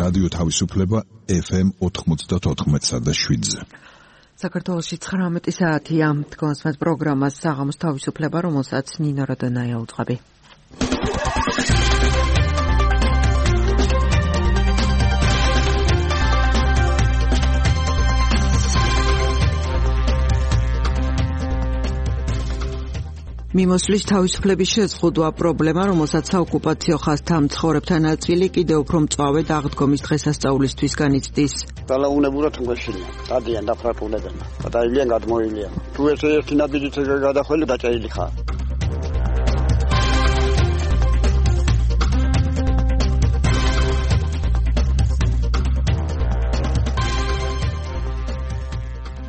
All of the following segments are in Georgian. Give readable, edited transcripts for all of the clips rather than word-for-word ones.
რადიო თავისუფლება FM 94.7-ზე. საქართველოში 19 საათია. თქვენს პროგრამას საღამოს თავისუფლება, რომელსაც ნინო როდონაია უძღვები. მიმოსვლის თავისუფლების შეზღუდვა პრობლემა, რომელსაც საოკუპაციო ხაზთა მცხოვრებთა ნაწილი კიდევ უფრო მწვავედ აღდგომის დღესასწაულისთვის განიცდის. დალაუნებურად მგეშინია, დადიან დაფრატულებენ. გადაილიან გადმოილიან. თუ ერთი ნაბიჯით გადახველი დაჭაილი ხარ.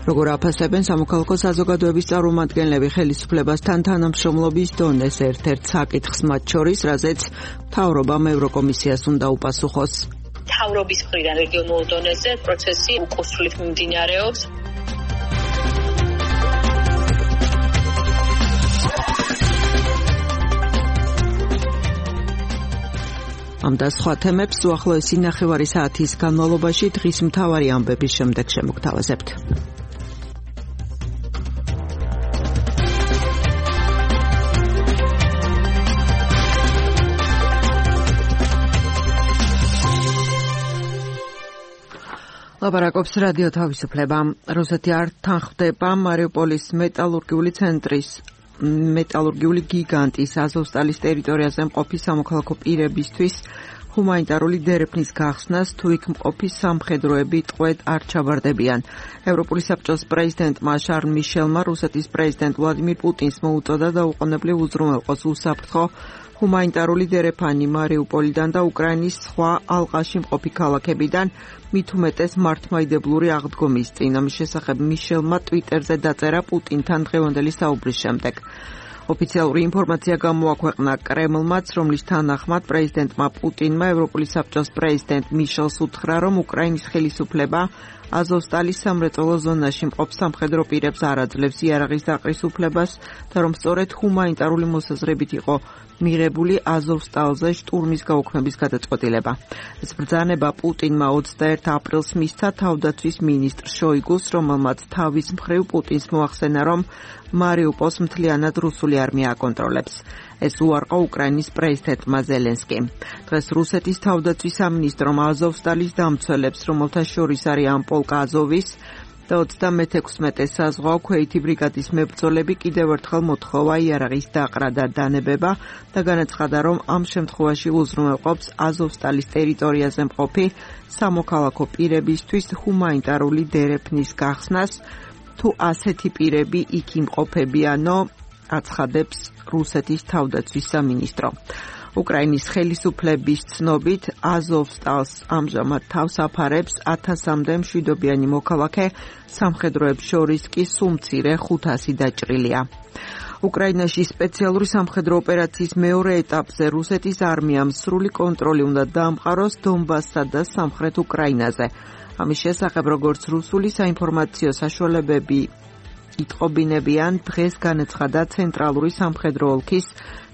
როგორ აფასებენ სამოქალაქო საზოგადოების წარმომადგენლები ხელისუფლებასთან თანამშრომლობის დონეს ერთ-ერთ საკითხს მათ შორის, რაზეც მთავრობამ ევროკომისიას უნდა უპასუხოს. მთავრობის მხრიდან რეგიონულ დონეზე პროცესი უკუსრვლით მიმდინარეობს. ამ და სხვა თემებს უახლოესი ნახევარი საათის განმავლობაში დღის მთავარი ამბების შემდეგ შემოგთავაზებთ. ლაპარაკობს რადიო თავისუფლება. რუსეთი არ თანხმდება მარიუპოლის მეტალურგიული გიგანტის აზოვსტალის ტერიტორიაზე მყოფი სამოქალაქო პირებისთვის ჰუმანიტარული დერეფნის გახსნას, თუ იქ მყოფი სამხედროები ტყვედ არ ჩაბარდებიან. ევროპული საბჭოს პრეზიდენტმა შარლ მიშელმა რუსეთის პრეზიდენტ ვლადიმირ პუტინს მოუწოდა დაუყოვნებლივ უზრუნველყოს უსაფრთხო ჰუმანიტარული დერეფანი მარიუპოლიდან და უკრაინის სხვა ალყაში მყოფი ქალაქებიდან, მით უმეტეს მართლმადიდებლური აღდგომის წინ. ამის შესახებ მიშელმა ტვიტერზე დაწერა პუტინთან დღევანდელი საუბრის შემდეგ. ოფიციალური ინფორმაცია გამოაქვეყნა კრემლმაც, რომლის თანახმად პრეზიდენტმა პუტინმა ევროპული საბჭოს პრეზიდენტ მიშელს უთხრა, რომ უკრაინის ხელისუფლება აზოვსტალის სამრეწველო ზონაში მყოფ სამხედრო პირებს არ აძლევს იარაღის დაყრის უფლებას და რომ სწორედ ჰუმანიტარული მოსაზრებით იყო მიღებული აზოვსტალზე შტურმის გაუქმების გადაწყვეტილება. ეს ბრძანება პუტინმა 21 აპრილს მისცა თავდაცვის მინისტრ შოიგუს, რომელმაც თავის მხრივ პუტინს მოახსენა, რომ მარიუპოლს მთლიანად რუსული არმია აკონტროლებს. ეს უარყო უკრაინის პრეზიდენტმა ზელენსკიმ. დღეს რუსეთის თავდაცვის სამინისტრომ აზოვსტალის დამცველებს, რომელთა შორის არის ამ პოლკ აზოვის და 36 საზღვაო ქვეითი ბრიგადის მებრძოლები კიდევ ერთხელ მოთხოვა იარაღის დაყრა და დანებება და განაცხადა, რომ ამ შემთხვევაში უზრუნველყოფს აზოვსტალის ტერიტორიაზე მყოფი სამოქალაქო პირებისთვის ჰუმანიტარული დერეფნის გახსნას, თუ ასეთი პირები იქ იმყოფებიანო, აცხადებს რუსეთის თავდაცვის სამინისტრო. უკრაინის ხელისუფლების ცნობით აზოვსტალს ამჟამად თავს აფარებს 1000-მდე მშვიდობიანი მოქალაქე, სამხედროებს შორის კი სულ მცირე 500 დაჭრილია. უკრაინაში სპეციალური სამხედრო ოპერაციის მეორე ეტაპზე რუსეთის არმიამ სრული კონტროლი უნდა დაამყაროს დონბასსა და სამხრეთ უკრაინაზე. ამის შესახებ, როგორც რუსული საინფორმაციო საშუალებები იტყობინებიან, დღეს განაცხადა ცენტრალური სამხედრო ოლქის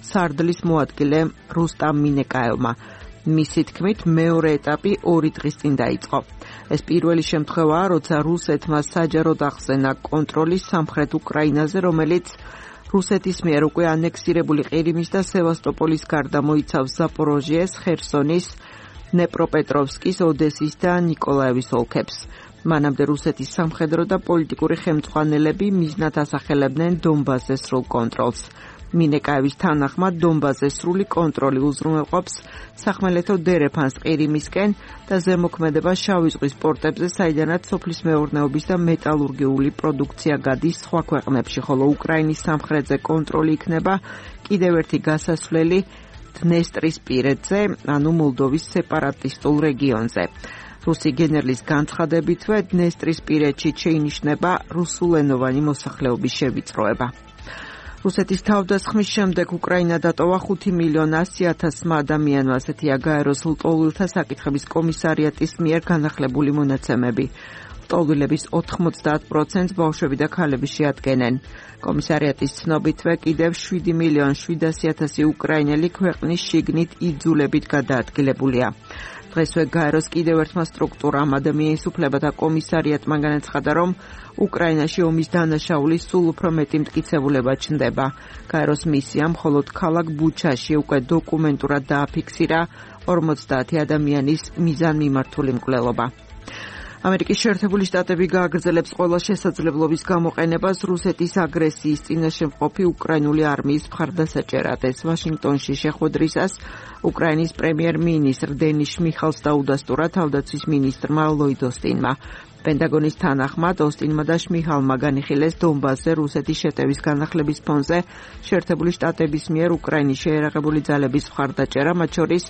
სარდლის მოადგილე რუსტამ მინეკაევმა. მისი თქმით, მეორე ეტაპი 2 დღის წინ დაიწყო. ეს პირველი შემთხვევაა, როცა რუსეთმა საჯაროდ ახსენა კონტროლი სამხრეთ უკრაინაზე, რომელიც რუსეთის მიერ უკვე ანექსირებული ყირიმის და სევასტოპოლის გარდა მოიცავს ზაპოროჟიეს, ხერსონის, დნეპროპეტროვსკის, ოდესის და ნიკოლაევის ოლქებს. მანამდე რუსეთის სამხედრო და პოლიტიკური ხელმძღვანელები მიზნად ასახელებდნენ დონბასზე სრულ კონტროლს. მინეკაევის თანახმად დონბასზე სრული კონტროლი უზრუნველყოფს სახმელეთო დერეფანს ყირიმისკენ და ზემოქმედება შავი ზღვის პორტებზე, საიდანაც სოფლის მეურნეობის და მეტალურგიული პროდუქცია გადის სხვა ქვეყნებში, ხოლო უკრაინის სამხრეთზე კონტროლი იქნება კიდევ ერთი გასასვლელი დნესტრისპირეთზე, ანუ მოლდოვის სეპარატისტულ რეგიონზე. რუსი გენერლის განცხადებითვე დნესტრისპირეთში შეინიშნება რუსულენოვანი მოსახლეობის შევიწროება. რუსეთის თავდასხმის შემდეგ უკრაინა დატოვა 5,100,000 ადამიანმა, ასეთია გაეროს ლტოლვილთა საკითხების კომისარიატის მიერ განახლებული მონაცემები. ლტოლვილების 90%-ს ბავშვები და ქალები შეადგენენ. კომისარიატის ცნობითვე კიდევ 7,700,000 უკრაინელი ქვეყნის შიგნით იძულებით გადაადგილებულია. დღესვე გაეროს კიდევ ერთმა სტრუქტურამ ადამიანის უფლებათა კომისარიატმა განაცხადა, რომ უკრაინაში ომის დანაშაულის სულ უფრო მეტი მტკიცებულება ჩნდება. გაეროს მისიამ მხოლოდ ქალაქ ბუჩაში უკვე დოკუმენტურად დააფიქსირა 50 ადამიანის მიზანმიმართული მკვლელობა. ამერიკის შეერთებული შტატები გააგრძელებს ყველა შესაძლებლობის გამოყენებას რუსეთის აგრესიის წინაშე მყოფი უკრაინული არმიის მხარდასაჭერად. ეს ვაშინგტონში შეხვედრისას უკრაინის პრემიერ-მინისტრ დენის შმიხალს დაუდასტურა თავდაცვის მინისტრმა ლოიდ ოსტინმა. პენტაგონის თანახმად ოსტინმა და შმიხალმა განიხილეს დონბასზე რუსეთის შეტევის განახლების ფონზე შეერთებული შტატების მიერ უკრაინის შეერაღებული ძალების მხარდაჭერა, მათ შორის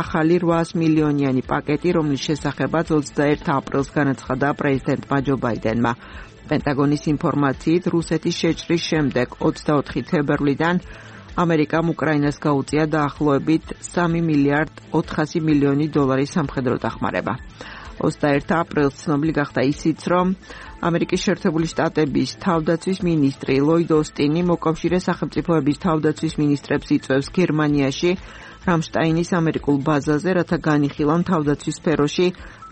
ახალი 800 მილიონიანი პაკეტი, რომლის შესახებაც 21 აპრილს განაცხადა პრეზიდენტმა ჯო ბაიდენმა. პენტაგონის ინფორმაციით, რუსეთის შეჭრის შემდეგ 24 თებერვლიდან ამერიკამ უკრაინას გაუწია დაახლოებით 3 მილიარდ 400 მილიონი დოლარის სამხედრო დახმარება. 21 აპრილს ცნობილი გახდა ისიც, რომ ამერიკის შეერთებული შტატების თავდაცვის მინისტრი ლოიდ ოსტინი მოკავშირე სახელმწიფოების თავდაცვის მინისტრებს იწვევს გერმანიაში რამშტაინის ამერიკულ ბაზაზე, რათა განიხილონ თავდაცვის სფეროში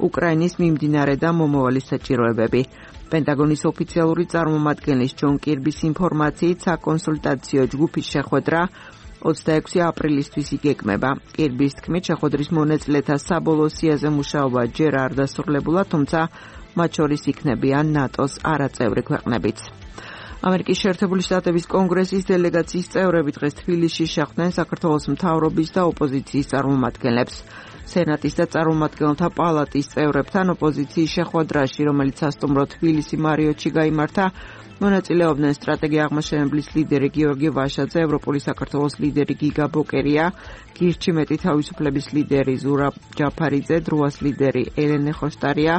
უკრაინის მიმდინარე და მომავალი საჭიროებები. პენტაგონის ოფიციალური წარმომადგენლის ჯონ კირბის ინფორმაციით, საკონსულტაციო ჯგუფის შეხვედრა 26 აპრილისთვის იგეგმება. კირბის თქმით, შეხვედრის მონაწილეთა საბოლოო სიაზე მუშაობა ჯერ არ დასრულებულა, თუმცა მათ შორის იქნებიან ნატოს არაწევრი ქვეყნებიც. ამერიკის შეერთებული შტატების კონგრესის დელეგაციის წევრები დღეს თბილისში შეხვდნენ საქართველოს მთავრობის და ოპოზიციის წარმომადგენლებს. სენატის და წარმომადგენელთა პალატის წევრებთან ოპოზიციის შეხვედრაში, რომელიც სასტუმრო თბილისი მარიოტში გაიმართა, მონაწილეობდნენ სტრატეგია აღმაშენებლის ლიდერი გიორგი ვაშაძე, ევროპული საქართველოს ლიდერი გიგა ბოკერია, გირჩი მეტი თავისუფლების ლიდერი ზურაბ ჯაფარიძე, დროას ლიდერი ელენე ხოშტარია,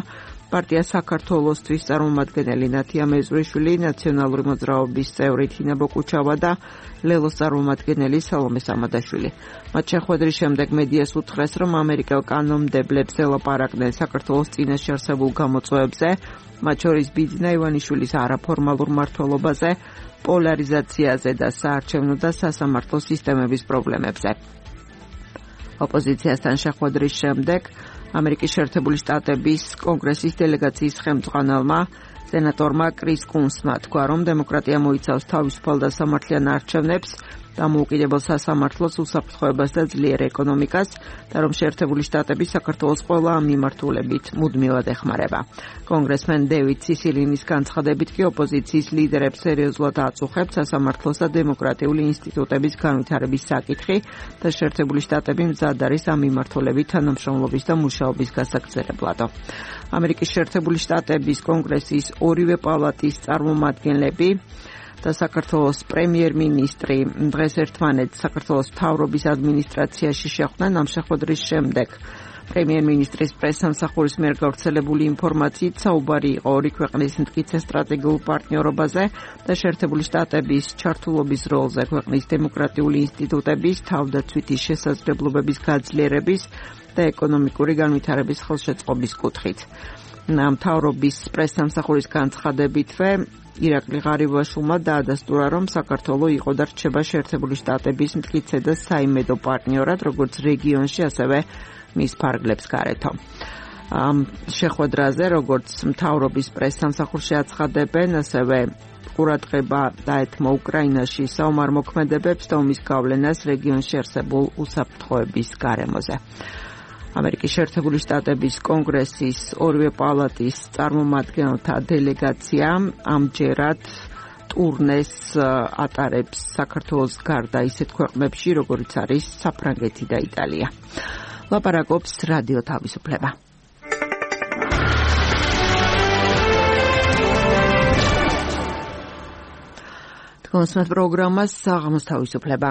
პარტია საქართველოსთვის წარმომადგენელი ნათია მეზრიშვილი, ნაციონალური მოძრაობის წევრი თინა ბოკუჩავა და ლელოს წარმომადგენელი სალომე სამადაშვილი. მათ შეხვედრის შემდეგ მედიას უთხრეს, რომ ამერიკელ კანონმდებლებს ელაპარაკდნენ საქართველოს წინაშე არსებულ გამოწვევებზე, მათ შორის ბიძინა ივანიშვილის არაფორმალურ მმართველობაზე, პოლარიზაციაზე და საარჩევნო და სასამართლო სისტემების პრობლემებზე. ოპოზიციასთან შეხვედრის შემდეგ ამერიკის შეერთებული შტატების კონგრესის დელეგაციის ხელმძღვანელმა სენატორმა კრის კუნსმა თქვა, რომ დემოკრატია მოიცავს თავისუფალ და სამართლიან არჩევნებს, დამოუკიდებელ სასამართლოს, უსაფრთხოებას და ძლიერ ეკონომიკას და რომ შეერთებული შტატები საქართველოს ყველა ამ მიმართულებით მუდმივად ეხმარება. კონგრესმენ დევიდ სისილინის განცხადებით კი ოპოზიციის ლიდერებს სერიოზულად აწუხებს სასამართლოს და დემოკრატიული ინსტიტუტების განვითარების საკითხი და შეერთებული შტატები მზად არის ამ მიმართულებით თანამშრომლობის და მუშაობის გასაგრძელებლადო. ამერიკის შეერთებული შტატების კონგრესის ორივე პალატის წარმომადგენლები და საქართველოს პრემიერ-მინისტრი დღეს ერთმანეთს საქართველოს მთავრობის ადმინისტრაციაში შეხვდნენ. ამ შეხვედრის შემდეგ პრემიერ-მინისტრის პრესსამსახურის მიერ გავრცელებული ინფორმაციით საუბარი იყო ორი ქვეყნის მტკიცე სტრატეგიულ პარტნიორობაზე და შეერთებული შტატების ჩართულობის როლზე ქვეყნის დემოკრატიული ინსტიტუტების, თავდაცვითი შესაძლებლობების გაძლიერების და ეკონომიკური განვითარების ხელშეწყობის კუთხით. მთავრობის პრესსამსახურის განცხადებითვე ირაკლი ღარიბაშვილმა დაადასტურა, რომ საქართველო იყო და რჩება შეერთებული შტატების მტკიცე და საიმედო პარტნიორად, როგორც რეგიონში, ასევე მის ფარგლებს გარეთო. ამ შეხვედრაზე, როგორც მთავრობის პრესსამსახურში აცხადებენ, ასევე ყურადღება დაეთმო უკრაინაში საომარ მოქმედებებს და ომის გავლენას რეგიონში არსებულ უსაფრთხოების გარემოზე. ამერიკის შეერთებული შტატების კონგრესის ორივე პალატის წარმომადგენელთა დელეგაცია ამჯერად ტურნეს ატარებს საქართველოს გარდა ისეთ ქვეყნებში, როგორიც არის საფრანგეთი და იტალია. ლაპარაკობს რადიო თავისუფლება. თქვენს პროგრამას საღამოს თავისუფლება.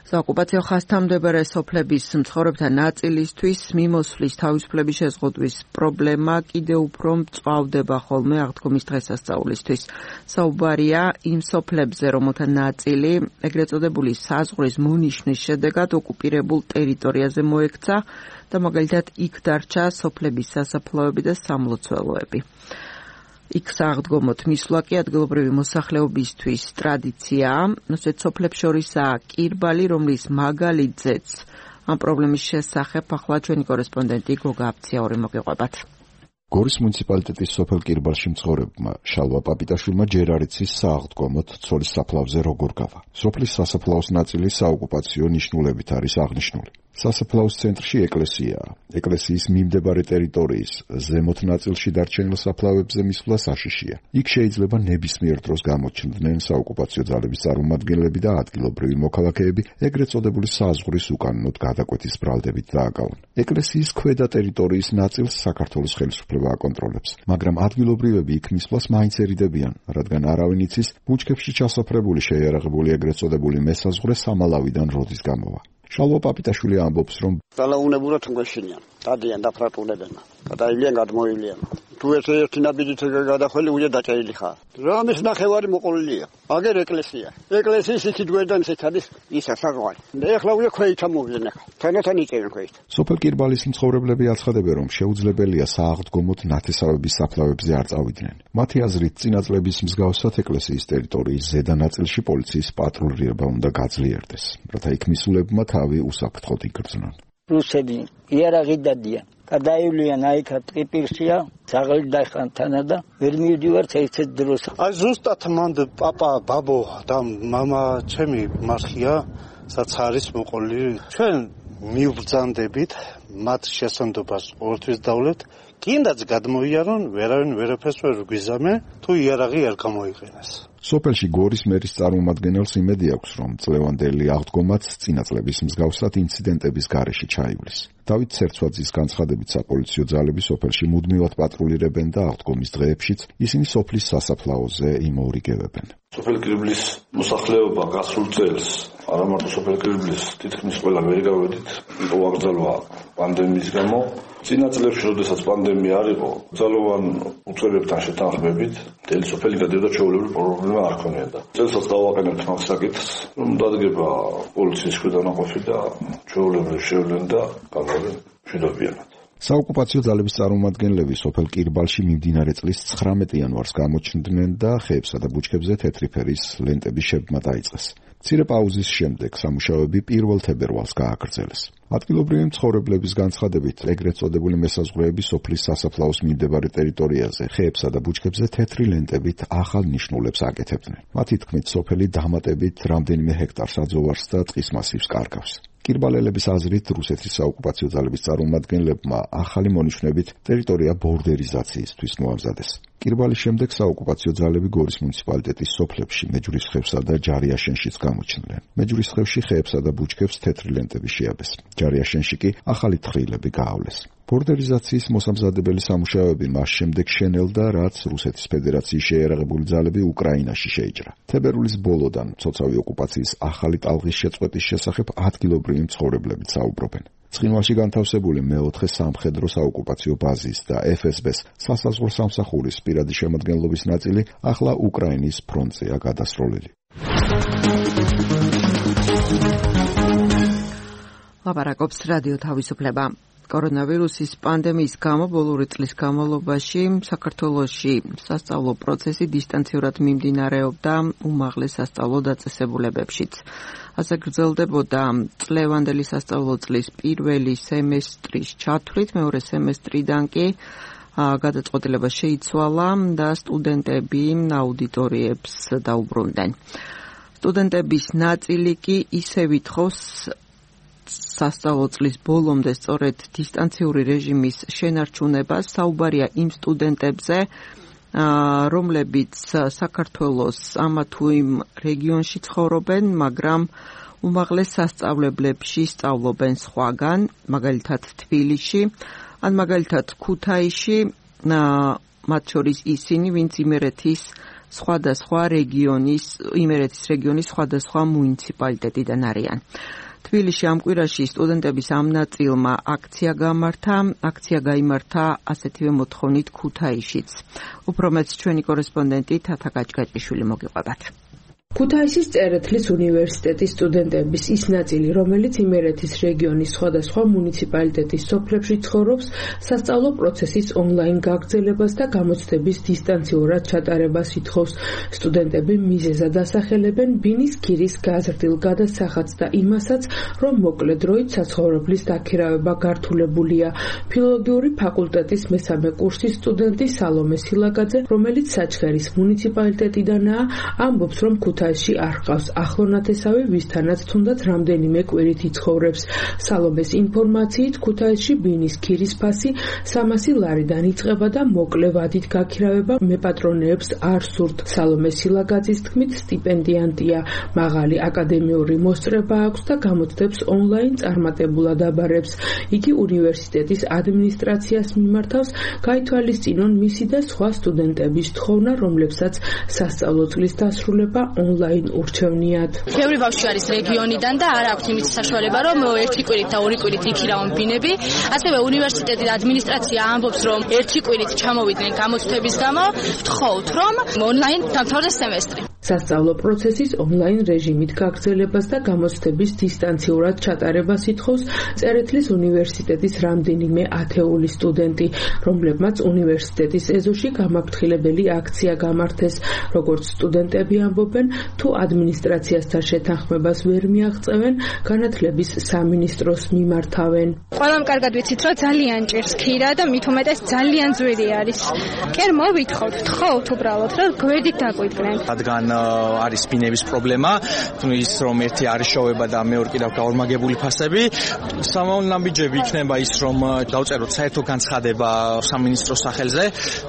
საოკუპაციო ხასთამდებარე სოფლების მცხოვრებთა ნაწილისთვის მიმოსვლის თავისუფლების შეზღუდვის პრობლემა კიდევ უფრო მწვავდება ხოლმე აღდგომის დღესასწაულისთვის. საუბარია იმ სოფლებზე, რომელთა ნაწილი ეგრეთ წოდებული საზღვრის მონიშნის შედეგად ოკუპირებულ ტერიტორიაზე მოექცა და მაგალითად იქ დარჩა სოფლების სასაფლაოები და სამლოცველოები. იქ საღდგომოთ მისვლა კი ადგილობრივი მოსახლეობისთვის ტრადიციაა, ასეთ სოფლებს შორისაა კირბალი, რომლის მაგალითზეც ამ პრობლემის შესახებ ახლა ჩვენი კორესპონდენტი გოგა აფციაური მოგიყვებათ. გორის მუნიციპალიტეტის სოფელ კირბალში მცხოვრებმა შალვა პაპიტაშვილმა ჯერ არ იცის სააღდგომოთ ცოლის საფლავზე როგორ გავა. სოფლის სასაფლაოს ნაწილი საოკუპაციო ნიშნულებით არის აღნიშნული. სასაფლაოს ცენტრში ეკლესიაა. ეკლესიის მიმდებარე ტერიტორიის ზემოთ ნაწილში დარჩენილ საფლავებზე მისვლა საშიშია. იქ შეიძლება ნებისმიერ დროს გამოჩნდნენ საოკუპაციო ძალების წარმომადგენლები და ადგილობრივი მოქალაქეები ეგრეთ წოდებული საზღვრის უკანონოდ გადაკვეთის ბრალდებით დააკავონ. ეკლესიის ქვედა ტერიტორიის ნაწილს საქართველოს ხელისუფლება აკონტროლებს, მაგრამ ადგილობრივები იქ მისვლას მაინც ერიდებიან, რადგან არავინ იცის ბუჩქებში ჩასაფრებული შეიარაღებული ეგრეთ წოდებული მესაზღვრე სამალავიდან როდის გამოვა. შალვა პაპიტაშვილი ამბობს, რომ დალაუნებურად გვეშინიან, დადიან დაფრატუნებენ, გადაივლიან, გადმოივლიან. თუ ერთი ნაბიჯით გადახველი უნდა დაჭერილი ხარ. რამის ნახევარი მოყოლილია. აგერ ეკლესია. ეკლესიის იქით გვერდან ისეთ არის ისა საღვარი. ეხლა უნდა ქვეითა მოვიდნენ ახლა. თანათან იჭერენ ქვეით. სოფელ კირბალის მცხოვრებლები აცხადებენ, რომ შეუძლებელია სააღდგომოთ ნათესავების საფლავებზე არ წავიდნენ. მათი აზრით, წინა წლების მსგავსად ეკლესიის ტერიტორიის ზედა ნაწილში პოლიციის პატრულირება უნდა გაძლიერდეს, რათა იქ მისულებმა თავი უსაფრთხოდ იგრძნონ. რუსები იარაღი დადიან. გადაივლიან აიქა ტრიპირშია, ზაღლი დაიხან თანა და ვერ მივდივართ ერთ დროს. აი ზუსტად მანდ პაპა, ბაბო და მამა ჩემი მარხია, სადაც არის მოყოლი. ჩვენ მივბრძანდებით მათ შესანდობას ყოველთვის დავლეთ. კიდაც გადმოიარონ, ვერავინ ვერაფერს ვერ გვიზამე, თუ იარაღი არ გამოიყენეს. სოფელში გორის მერის წარმომადგენელს იმედი აქვს, რომ წლევანდელი აღდგომაც წინა წლების მსგავსად ინციდენტების გარეშე ჩაივლის. დავით ცერცვაძის განცხადებით, საპოლიციო ძალები სოფელში მუდმივად პატრულირებენ და აღდგომის დღეებშიც ისინი სოფლის სასაფლაოზე იმოურიგებენ. სოფელ კირბლის მოსახლეობა გასულ წელს, არა მარტო სოფელ კირბლის, თითქმის ყველა ვერ გავედით, იყო აკრძალვა პანდემიის გამო. წინა წლებში, როდესაც პანდემია არ იყო, ძალოვან უწყებებთან შეთანხმებით, მთელი სოფელი გადავიდა ჩვეულებრივი პრობლემა არ ქონიოდა. წელსაც დავაყენებთ მაგ საკითხს, რომ დადგება პოლიციის ქვედანაყოფი და ჩვეულებრივ შევლენ და გამოვიდნენ მშვიდობიანად. საოკუპაციო ძალების წარმომადგენლები სოფელ კირბალში მიმდინარე წლის 19 იანვარს გამოჩნდნენ და ხეებსა და ბუჩქებზე თეთრი ფერის ლენტების შებმა დაიწყეს. მცირე პაუზის შემდეგ სამუშაოები 1 თებერვალს გააგრძელეს. ადგილობრივი მცხოვრებლების განცხადებით, ეგრეთ წოდებული მესაზღვრეები სოფლის სასაფლაოს მიმდებარე ტერიტორიაზე ხეებსა და ბუჩქებზე თეთრი ლენტებით ახალ ნიშნულებს აკეთებდნენ. მათი თქმით, სოფელი დამატებით რამდენიმე ჰექტარს აძოვარს და ტყის მასივს კარგავს. კირბალელების აზრით, რუსეთის საოკუპაციო ძალების წარმომადგენლებმა ახალი მონიშნებით ტერიტორია ბორდერიზაციისთვის მოამზადეს. კირბალის შემდეგ საოკუპაციო ძალები გორის მუნიციპალიტეტის სოფლებში მეჯვრისხევსა და ჯარიაშენშიც გამოჩნდნენ. მეჯვრისხევში ხეებსა და ბუჩქებს თეთრი ლენტები შეაბეს. ჯარიაშენში კი ახალი თხრილები გაავლეს. ბორდერიზაციის მოსამზადებელი სამუშაოები მას შემდეგ შენელდა, რაც რუსეთის ფედერაციის შეიარაღებული ძალები უკრაინაში შეიჭრა. თებერვლის ბოლოდან მცოცავი ოკუპაციის ახალი ტალღის შეწყვეტის შესახებ ადგილობრივი მცხოვრებლები საუბრობენ. ცხინვალში განთავსებული მეოთხე სამხედრო საოკუპაციო ბაზის და FSB-ს სასაზღვრო სამსახურის პირადი შემადგენლობის ნაწილი ახლა უკრაინის ფრონტზეა გადასროლილი. ლაპარაკობს რადიო თავისუფლება. კორონავირუსის პანდემიის გამო ბოლო წლის განმავლობაში საქართველოში სასწავლო პროცესი დისტანციურად მიმდინარეობდა უმაღლეს სასწავლო დაწესებულებებშიც. ასე გრძელდებოდა წლევანდელი სასწავლო წლის პირველი სემესტრის ჩათვლით, მეორე სემესტრიდან კი გადაწყვეტილება შეიცვალა და სტუდენტები აუდიტორიებს დაუბრუნდნენ. სტუდენტების ნაწილი კი ისევ ითხოვს სასწავლო წლის ბოლომდე სწორედ დისტანციური რეჟიმის შენარჩუნებას. საუბარია იმ სტუდენტებზე, რომლებიც საქართველოს ამა თუ იმ რეგიონში ცხოვრობენ, მაგრამ უმაღლეს სასწავლებლებში სწავლობენ სხვაგან, მაგალითად თბილისში, ან მაგალითად ქუთაისში, მათ შორის ისინი, ვინც იმერეთის სხვადასხვა რეგიონის, იმერეთის რეგიონის სხვადასხვა მუნიციპალიტეტიდან არიან. თბილისში ამ კვირაში სტუდენტების ამ ნაწილმა აქცია გაიმართა ასეთივე მოთხოვნით ქუთაისშიც. უფრო მეც ჩვენი კორესპონდენტი თათა გაჭგაჭიშვილი მოგიყვებათ. ქუთაისის წერეთლის უნივერსიტეტის სტუდენტების ის ნაწილი, რომელიც იმერეთის რეგიონის სხვადასხვა მუნიციპალიტეტის სოფლებში ცხოვრობს, სასწავლო პროცესის ონლაინ გაგრძელებას და გამოცდების დისტანციურად ჩატარებას ითხოვს. სტუდენტები მიზეზად ასახელებენ ბინის ქირის გაზრდილ გადასახადს და იმასაც, რომ მოკლე დროით საცხოვრებლის დაქირავება გართულებულია. ფილოლოგიური ფაკულტეტის მესამე კურსის სტუდენტი სალომე სილაგაძე, რომელიც საჩხერის მუნიციპალიტეტიდანაა, ამბობს, რომ ქუთაისში არ ჰყავს ახლონათესავი, ვისთანაც თუნდაც რამდენიმე კვირით იცხოვრებს. სალომეს ინფორმაციით, ქუთაისში ბინის ქირის ფასი 300 ლარიდან იწყება და მოკლე ვადით გაქირავება მეპატრონეებს არ სურთ. სალომე სილაგაძის თქმით, სტიპენდიანტია, მაღალი აკადემიური მოსწრება აქვს და გამოცდებს ონლაინ წარმატებულად აბარებს. იგი უნივერსიტეტის ადმინისტრაციას მიმართავს, გაითვალისწინონ მისი და სხვა სტუდენტების თხოვნა, რომლებსაც სასწავლო წლის დასრულება ონლაინ ურჩევნიათ. ბევრი ბავშვი არის რეგიონიდან და არ აქვს იმის საშუალება, რომ ერთი კვირით და ორი კვირით იქირავონ ბინები. ასევე უნივერსიტეტის ადმინისტრაცია ამბობს, რომ ერთი კვირით ჩამოვიდნენ გამოცდების გამო, ვთხოვთ, რომ ონლაინ დამთავრდეს სემესტრი. სასწავლო პროცესის ონლაინ რეჟიმით გაგრძელებას და გამოცდების დისტანციურად ჩატარებას ითხოვს წერეთლის უნივერსიტეტის რამდენიმე ათეული სტუდენტი, რომლებმაც უნივერსიტეტის ეზოში გამაფრთხილებელი აქცია გამართეს. როგორც სტუდენტები ამბობენ, თუ ადმინისტრაციასთან შეთანხმებას ვერ მიაღწევენ, განათლების სამინისტროს მიმართავენ. ყველამ კარგად ვიცით, რომ ძალიან ჭირს ქირა და მით უმეტეს ძალიან ძვირი არის. კერ მოვითხოვთ, თხოვთ უბრალოდ, რომ გვერდით დაგვიდგნენ. რადგან არის ბინების პრობლემა, ის რომ ერთი არის შოვება და მეორე კიდევ გაორმაგებული ფასები, სამოვნამბიჯები იქნება ის, რომ დავწეროთ საერთო განცხადება სამინისტროს სახელზე,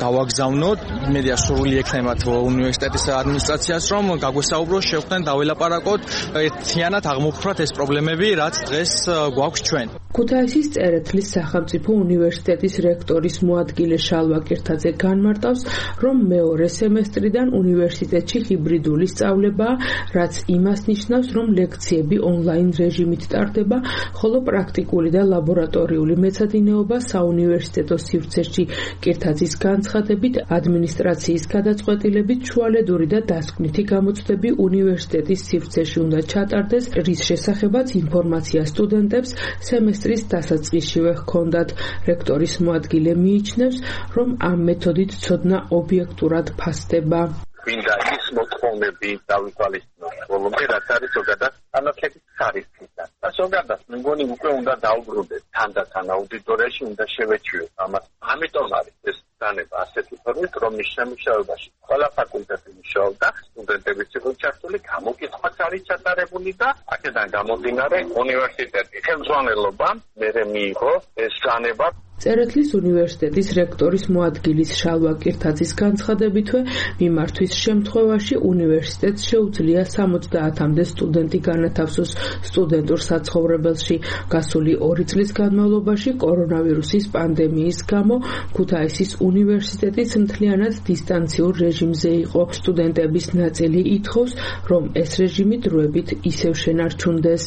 გავაგზავნოთ, მედია სრული ექნება უნივერსიტეტის ადმინისტრაციას, რომ გაგვესაუბრო, შევხვდეთ, დაველაპარაკოთ, ერთიანად აღმოფხვრათ ეს პრობლემები, რაც დღეს გვაქვს ჩვენ. ქუთაისის წერეთლის სახელმწიფო უნივერსიტეტის რექტორის მოადგილე შალვა კირთაძე განმარტავს, რომ მეორე სემესტრიდან უნივერსიტეტში ჰიბრიდული სწავლებაა, რაც იმას ნიშნავს, რომ ლექციები ონლაინ რეჟიმით ტარდება, ხოლო პრაქტიკული და ლაბორატორიული მეცადინეობა საუნივერსიტეტო სივრცეში. კირთაძის განცხადებით, ადმინისტრაციის გადაწყვეტილებით შუალედური და დასკვნითი გამოცდები უნივერსიტეტის სივრცეში უნდა ჩატარდეს, რის შესახებაც ინფორმაცია სტუდენტებს სემესტრის დასაწყისშივე ჰქონდათ. რექტორის მოადგილე მიიჩნევს, რომ ამ მეთოდით ცოდნა ობიექტურად ფასდება. ვინდა ის მოთხოვნები დავითვალისწინოთ ბოლომდე, რაც არის ზოგადად განათლების ხარისხიდან. და ზოგადად მგონი უკვე უნდა დაუბრუნდეთ თანდათან აუდიტორიაში, უნდა შევეჩვიოთ ამას. ამიტომ არის ეს დანება ასეთი ფორმით, რომ მის შემუშავებაში ყველა ფაკულტეტი მუშაობდა, სტუდენტებიც იყო ჩართული, გამოკითხვაც არის ჩატარებული და აქედან გამომდინარე უნივერსიტეტის ხელმძღვანელობამ მერე მიიღო ეს დანება. წერეთლის უნივერსიტეტის რექტორის მოადგილის შალვა კირთაძის განცხადებითვე, მიმართვის შემთხვევაში უნივერსიტეტს შეუძლია 70-მდე სტუდენტი განათავსოს სტუდენტურ საცხოვრებელში. გასული 2 წლის განმავლობაში კორონავირუსის პანდემიის გამო ქუთაისის უნივერსიტეტიც მთლიანად დისტანციურ რეჟიმზე იყო. სტუდენტების ნაწილი ითხოვს, რომ ეს რეჟიმი დროებით ისევ შენარჩუნდეს.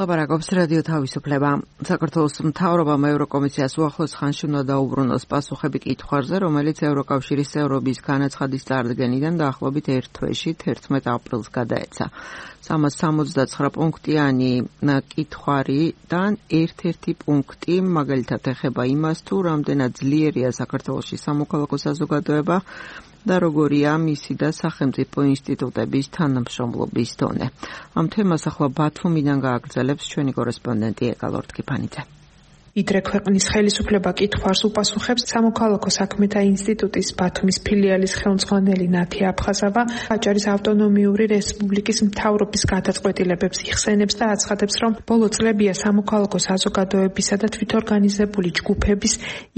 ლაპარაკობს რადიო თავისუფლება. საქართველოს მთავრობამ ევროკომისიას უახლოს ხანში უნდა დაუბრუნოს პასუხები კითხვაზე, რომელიც ევროკავშირის წევრობის განაცხადის წარდგენიდან დაახლოებით 1 თვეში 11 აპრილს გადაეცა. 369 პუნქტიანი კითხვარიდან ერთ-ერთი პუნქტი მაგალითად ეხება იმას, თუ რამდენად ძლიერია საქართველოში სამოქალაქო საზოგადოება და როგორია მისი და სახელმწიფო ინსტიტუტების თანამშრომლობის დონე. ამ თემას ახლა ბათუმიდან გააგრძელებს ჩვენი კორესპონდენტი ეკალორტკიფანიძე. იდრე ქვეყნის ხელისუფლება კითხვარს უპასუხებს სამოქალაქო საქმეთა ინსტიტუტის ბათუმის ფილიალის ხელმძღვანელი ნათია აფხაზავა აჭარის ავტონომიური რესპუბლიკის მთავრობის გადაწყვეტილებებს იხსენებს და აცხადებს, რომ ბოლო წლებია სამოქალაქო საზოგადოებისა და თვითორგანიზებული ჯგუფების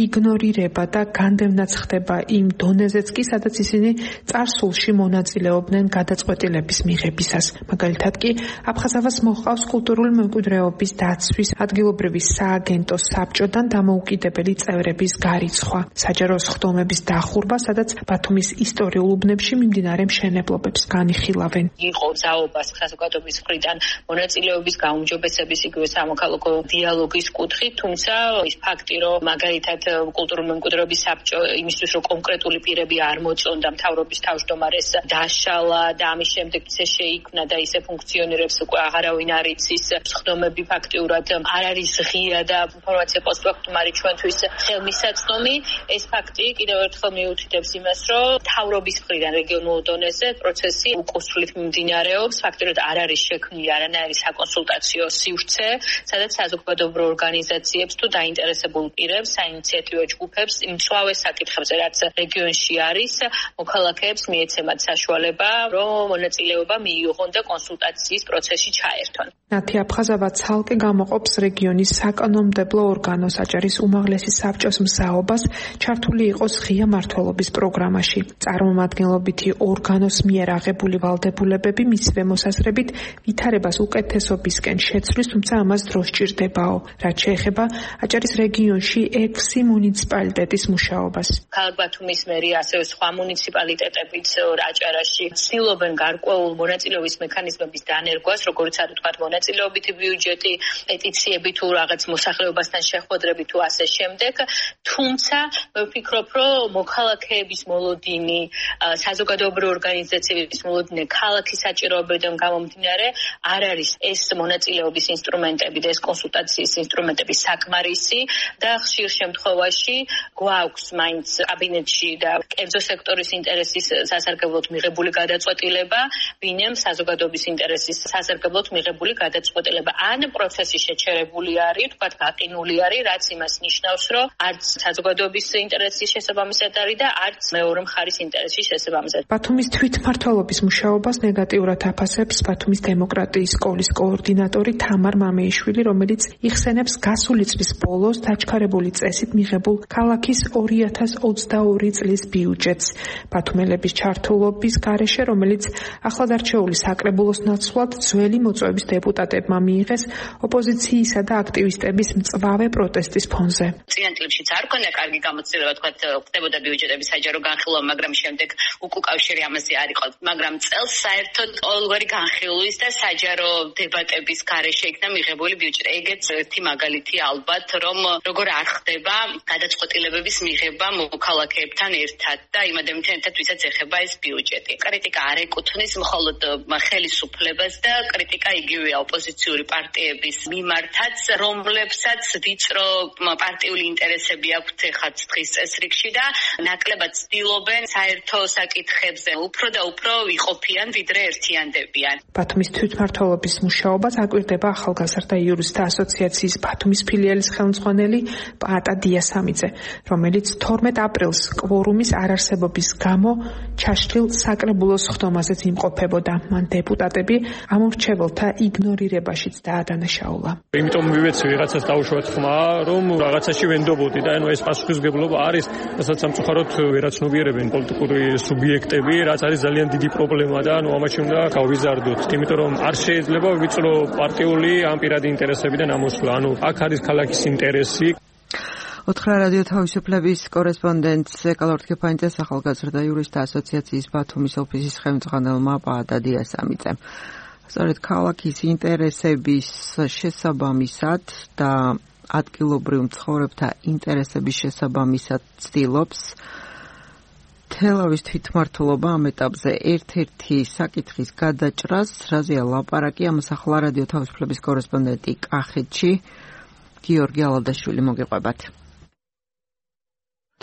იგნორირება და განდევნაც ხდება იმ დონეზეც კი, სადაც ისინი წარსულში მონაწილეობდნენ გადაწყვეტილების მიღებისას. მაგალითად კი აფხაზავას მოჰყავს კულტურული მემკვიდრეობის დაცვის ადგილობრივი სააგენტოს საბჭოდან დამოუკიდებელი წევრების გარიცხვა, საჯარო სხდომების დახურვა, სადაც ბათუმის ისტორიულ უბნებში მიმდინარე მშენებლობებს განიხილავენ. იყო ძალობას საზოგადოების მხრიდან მონაწილეობის გაუმჯობესების, იგივე სამოქალაქო დიალოგის კუთხით, თუმცა ის ფაქტი, რომ მაგალითად კულტურული მემკვიდრეობის საბჭო იმისთვის, რომ კონკრეტული პირები არ მოწონდა მთავრობის თავმჯდომარეს დაშალა და ამის შემდეგ ისე შეიქმნა და ისე ფუნქციონირებს უკვე აღარავინ არ იცის, სხდომები ფაქტიურად არ არის ღია და ინფორმაცია პოსტფაქტუმ არის ჩვენთვის ხელმისაწვდომი. ეს ფაქტი კიდევ ერთხელ მიუთითებს იმას, რომ მთავრობის მხრიდან რეგიონულ დონეზე პროცესი უკუსრვლით მიმდინარეობს, ფაქტიურად არ არის შექმნილი არანაირი საკონსულტაციო სივრცე, სადაც საზოგადოებრივ ორგანიზაციებს თუ დაინტერესებულ პირებს, საინიციატივო ჯგუფებს იმ მწვავე საკითხებზე, რაც რეგიონში არის, მოქალაქეებს მიეცემათ საშუალება, რომ მონაწილეობა მიიღონ და კონსულტაციის პროცესში ჩაერთონ. ნათი აფხაზავა ცალკე გამოყოფს რეგიონის საკანონმდებლო ორგანოს აჭარის უმაღლესი საბჭოს მსაობას ჩართული იყოს ღია მმართველობის პროგრამაში. წარმომადგენლობითი ორგანოს მიერ აღებული ვალდებულებები მისივე მოსაზრებით ვითარებას უკეთესობისკენ შეცვლის, თუმცა ამას დრო სჭირდებაო, რაც შეეხება აჭარის რეგიონში 6 მუნიციპალიტეტის მუშაობას. ქალაქ ბათუმის მერია, ასევე სხვა მუნიციპალიტეტებიც აჭარაში ცდილობენ გარკვეულ მონაწილეობის მექანიზმების დანერგვას, როგორც არის თქვა მონაწილეობითი ბიუჯეტი, პეტიციები თუ რაღაც მოსახლეობასთან შეხვედრები თუ ასე შემდეგ. თუმცა მე ვფიქრობ, რომ მოქალაქეების მოლოდინი, საზოგადოებრივი ორგანიზაციების მოლოდინი ქალაქის საჭიროებებიდან გამომდინარე არ არის ეს მონაწილეობის ინსტრუმენტები და ეს კონსულტაციის ინსტრუმენტები საკმარისი და ხშირ შემთხვევაში გვაქვს მაინც კაბინეტში და კერძო სექტორის ინტერესის სასარგებლოდ მიღებული გადაწყვეტილება, ვინემ საზოგადოების ინტერესის სასარგებლოდ მიღებული გადაწყვეტილება. ან პროცესი შეჩერებული არის, თქვა გაყინული არის, რაც იმას ნიშნავს, რომ არც საზოგადოების ინტერესის შესაბამისად არის და არც მეორე მხარის ინტერესის შესაბამისად. ბათუმის თვითმმართველობის მუშაობას ნეგატიურად აფასებს ბათუმის დემოკრატიის სკოლის კოორდინატორი თამარ მამეიშვილი, რომელიც იხსენებს გასული წლის ბოლოს დაჩქარებული წესით მიღებულ ქალაქის 2022 წლის ბიუჯეტს. ბათუმელების ჩართულობის გარეშე, რომელიც ახლადარჩეული საკრებულოს ნაცვლად ძველი მოწვევის დეპუტატებმა მიიღეს ოპოზიციისა და აქტივისტების მწვავე პროტესტის ფონზე. წინა წლებშიც არ ქონდა კარგი გამოცდილება, თქვა ხდებოდა ბიუჯეტების საჯარო განხილვა, მაგრამ შემდეგ უკავშირი ამაზე არ იყო. მაგრამ წელს საერთოდ ყოველგვარი განხილვის და საჯარო დებატების გარეშე იქნა მიღებული ბიუჯეტი. ეგეც ერთი მაგალითი ალბათ, რომ როგორ არ ხდება გადაწყვეტილებების მიღება მოქალაქეებთან ერთად და იმ ადამიანთან ერთად, ვისაც ეხება ეს ბიუჯეტი. კრიტიკა არ ეკუთვნის მხოლოდ ხელისუფლებას და კრიტიკა იგივეა ოპოზიციური პარტიების მიმართაც, რომლებსაც ვიწრო პარტიული ინტერესები აქვთ ხა დღის წესრიგში და ნაკლებად ცდილობენ საერთო საკითხებზე უფრო და უფრო ვიყოფიან, ვიდრე ერთიანდებიან. ბათუმის თვითმმართველობის მუშაობას აკვირდება ახალგაზრდა იურისტთა ასოციაციის ბათუმის ფილიალის ხელმძღვანელი პაატა დიასამიძე, რომელიც 12 აპრილს კვორუმის არარსებობის გამო ჩაშლილ საკრებულოს ხდომაზეც იმყოფებოდა. მან დეპუტატები ამორჩეველთა იგნორირებაშიც დაადანაშაულა. იმიტომ მივეცი ვიღაცას დაუშვათ ხმა, რომ რაღაცაში ვენდობოდი და ეს პასუხისმგებლობა არის, რასაც სამწუხაროდ ვერაცნობიერებენ პოლიტიკური სუბიექტები, რაც არის ძალიან დიდი პრობლემა და ამაში უნდა გავიზარდოთ. იმიტომ რომ არ შეიძლება ვიწრო პარტიული ან პირადი ინტერესებიდან ამოსვლა. აქ არის ქალაქის ინტერესი. ოთხრა რადიო თავისუფლების კორესპონდენტს ეკალორთქეფანიძეს ახალგაზრდა იურისტთა ასოციაციის ბათუმის ოფისის ხელმძღვანელმა პაატა დიასამიძემ. სწორედ ქალაქის ინტერესების შესაბამისად და ადგილობრივ მცხოვრებთა ინტერესების შესაბამისად ცდილობს თელავის თვითმმართველობა ამ ეტაპზე ერთ-ერთი საკითხის გადაჭრას, რაზეა ლაპარაკი, ამას ახლა რადიო თავისუფლების კორესპონდენტი კახეთში გიორგი ალადაშვილი მოგიყვებათ.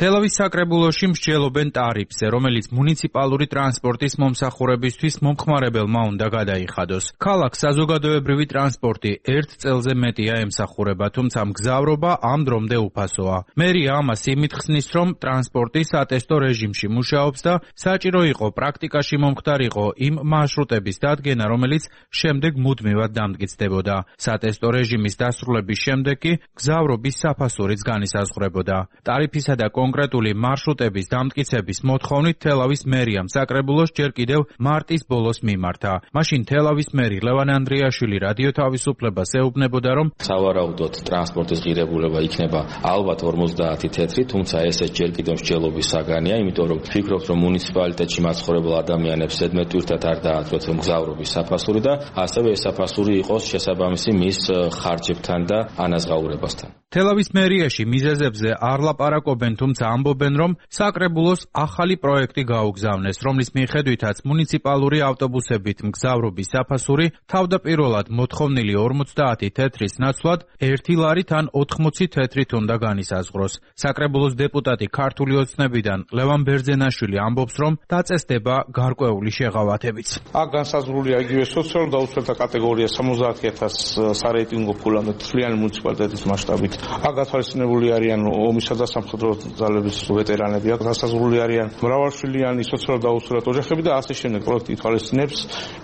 თელავის საკრებულოში მსჯელობენ ტარიფზე, რომელიც მუნიციპალური ტრანსპორტის მომსახურებისთვის მომხმარებელმა უნდა გადაიხადოს. ქალაქს საზოგადოებრივი ტრანსპორტი 1 წელზე მეტია ემსახურება, თუმცა მგზავრობა ამ დრომდე უფასოა. მერია ამას იმით ხსნის, რომ ტრანსპორტი სატესტო რეჟიმში მუშაობს და საჭირო იყო პრაქტიკაში მომხდარიყო იმ მარშრუტების დადგენა, რომელიც შემდეგ მუდმივად დამტკიცდებოდა. სატესტო რეჟიმის დასრულების შემდეგ კი მგზავრობის საფასურიც განისაზღვრებოდა. ტარიფისა და კონკრეტული მარშრუტების დამტკიცების მოთხოვნით თელავის მერიამ საკრებულოს ჯერ კიდევ მარტის ბოლოს მიმართა. მაშინ თელავის მერი ლევან ანდრიაშვილი რადიო თავისუფლებას ეუბნებოდა, რომ სავარაუდოდ ტრანსპორტის ღირებულება იქნება ალბათ 50 თეთრი, თუმცა ესეც ჯერ კიდევ მსჯელობის საგანია, იმიტომ რომ ვფიქრობთ, რომ მუნიციპალიტეტში მაცხოვრებელ ადამიანებს ზედმეტვირთად არ დააწყვეტს მგზავრობის საფასური და ასევე ეს საფასური იყოს შესაბამისი მის ხარჯებთან და ანაზღაურებასთან. თელავის მერიაში მიზეზებზე არ ლაპარაკობენ, თუმცა ამბობენ, რომ საკრებულოს ახალი პროექტი გაუგზავნეს, რომლის მიხედვითაც მუნიციპალური ავტობუსებით მგზავრობის საფასური თავდაპირველად მოთხოვნილი 50 თეთრის ნაცვლად 1 ლარით ან 80 თეთრით უნდა განისაზღვროს. საკრებულოს დეპუტატი ქართული ოცნებიდან ლევან ბერძენაშვილი ამბობს, რომ დაწესდება გარკვეული შეღავათებიც. აქ განსაზღვრულია იგივე სოციალურ დაუცველთა კატეგორია 70,000 სარეიტინგო ფულამდე თლიანი მუნიციპალიტეტის მასშტაბით. აქ გათვალისწინებული არიან ომისა და სამხედრო ძალების ვეტერანები, აქ განსაზღვრული არიან მრავალშვილიანი სოციალურ დაუცველთა ოჯახები და ასე შემდეგ. პროექტი ითვალისწინებს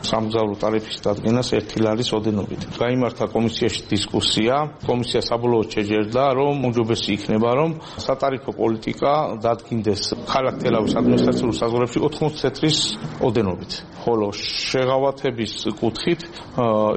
სამგზავრო ტარიფის დადგენას 1 ლარის ოდენობით. გაიმართა კომისიაში დისკუსია, კომისია საბოლოოდ შეჯერდა, რომ უმჯობესი იქნება, რომ სატარიფო პოლიტიკა დადგინდეს ქალაქ თელავის ადმინისტრაციულ საზღვრებში 80 თეთრის ოდენობით, ხოლო შეღავათების კუთხით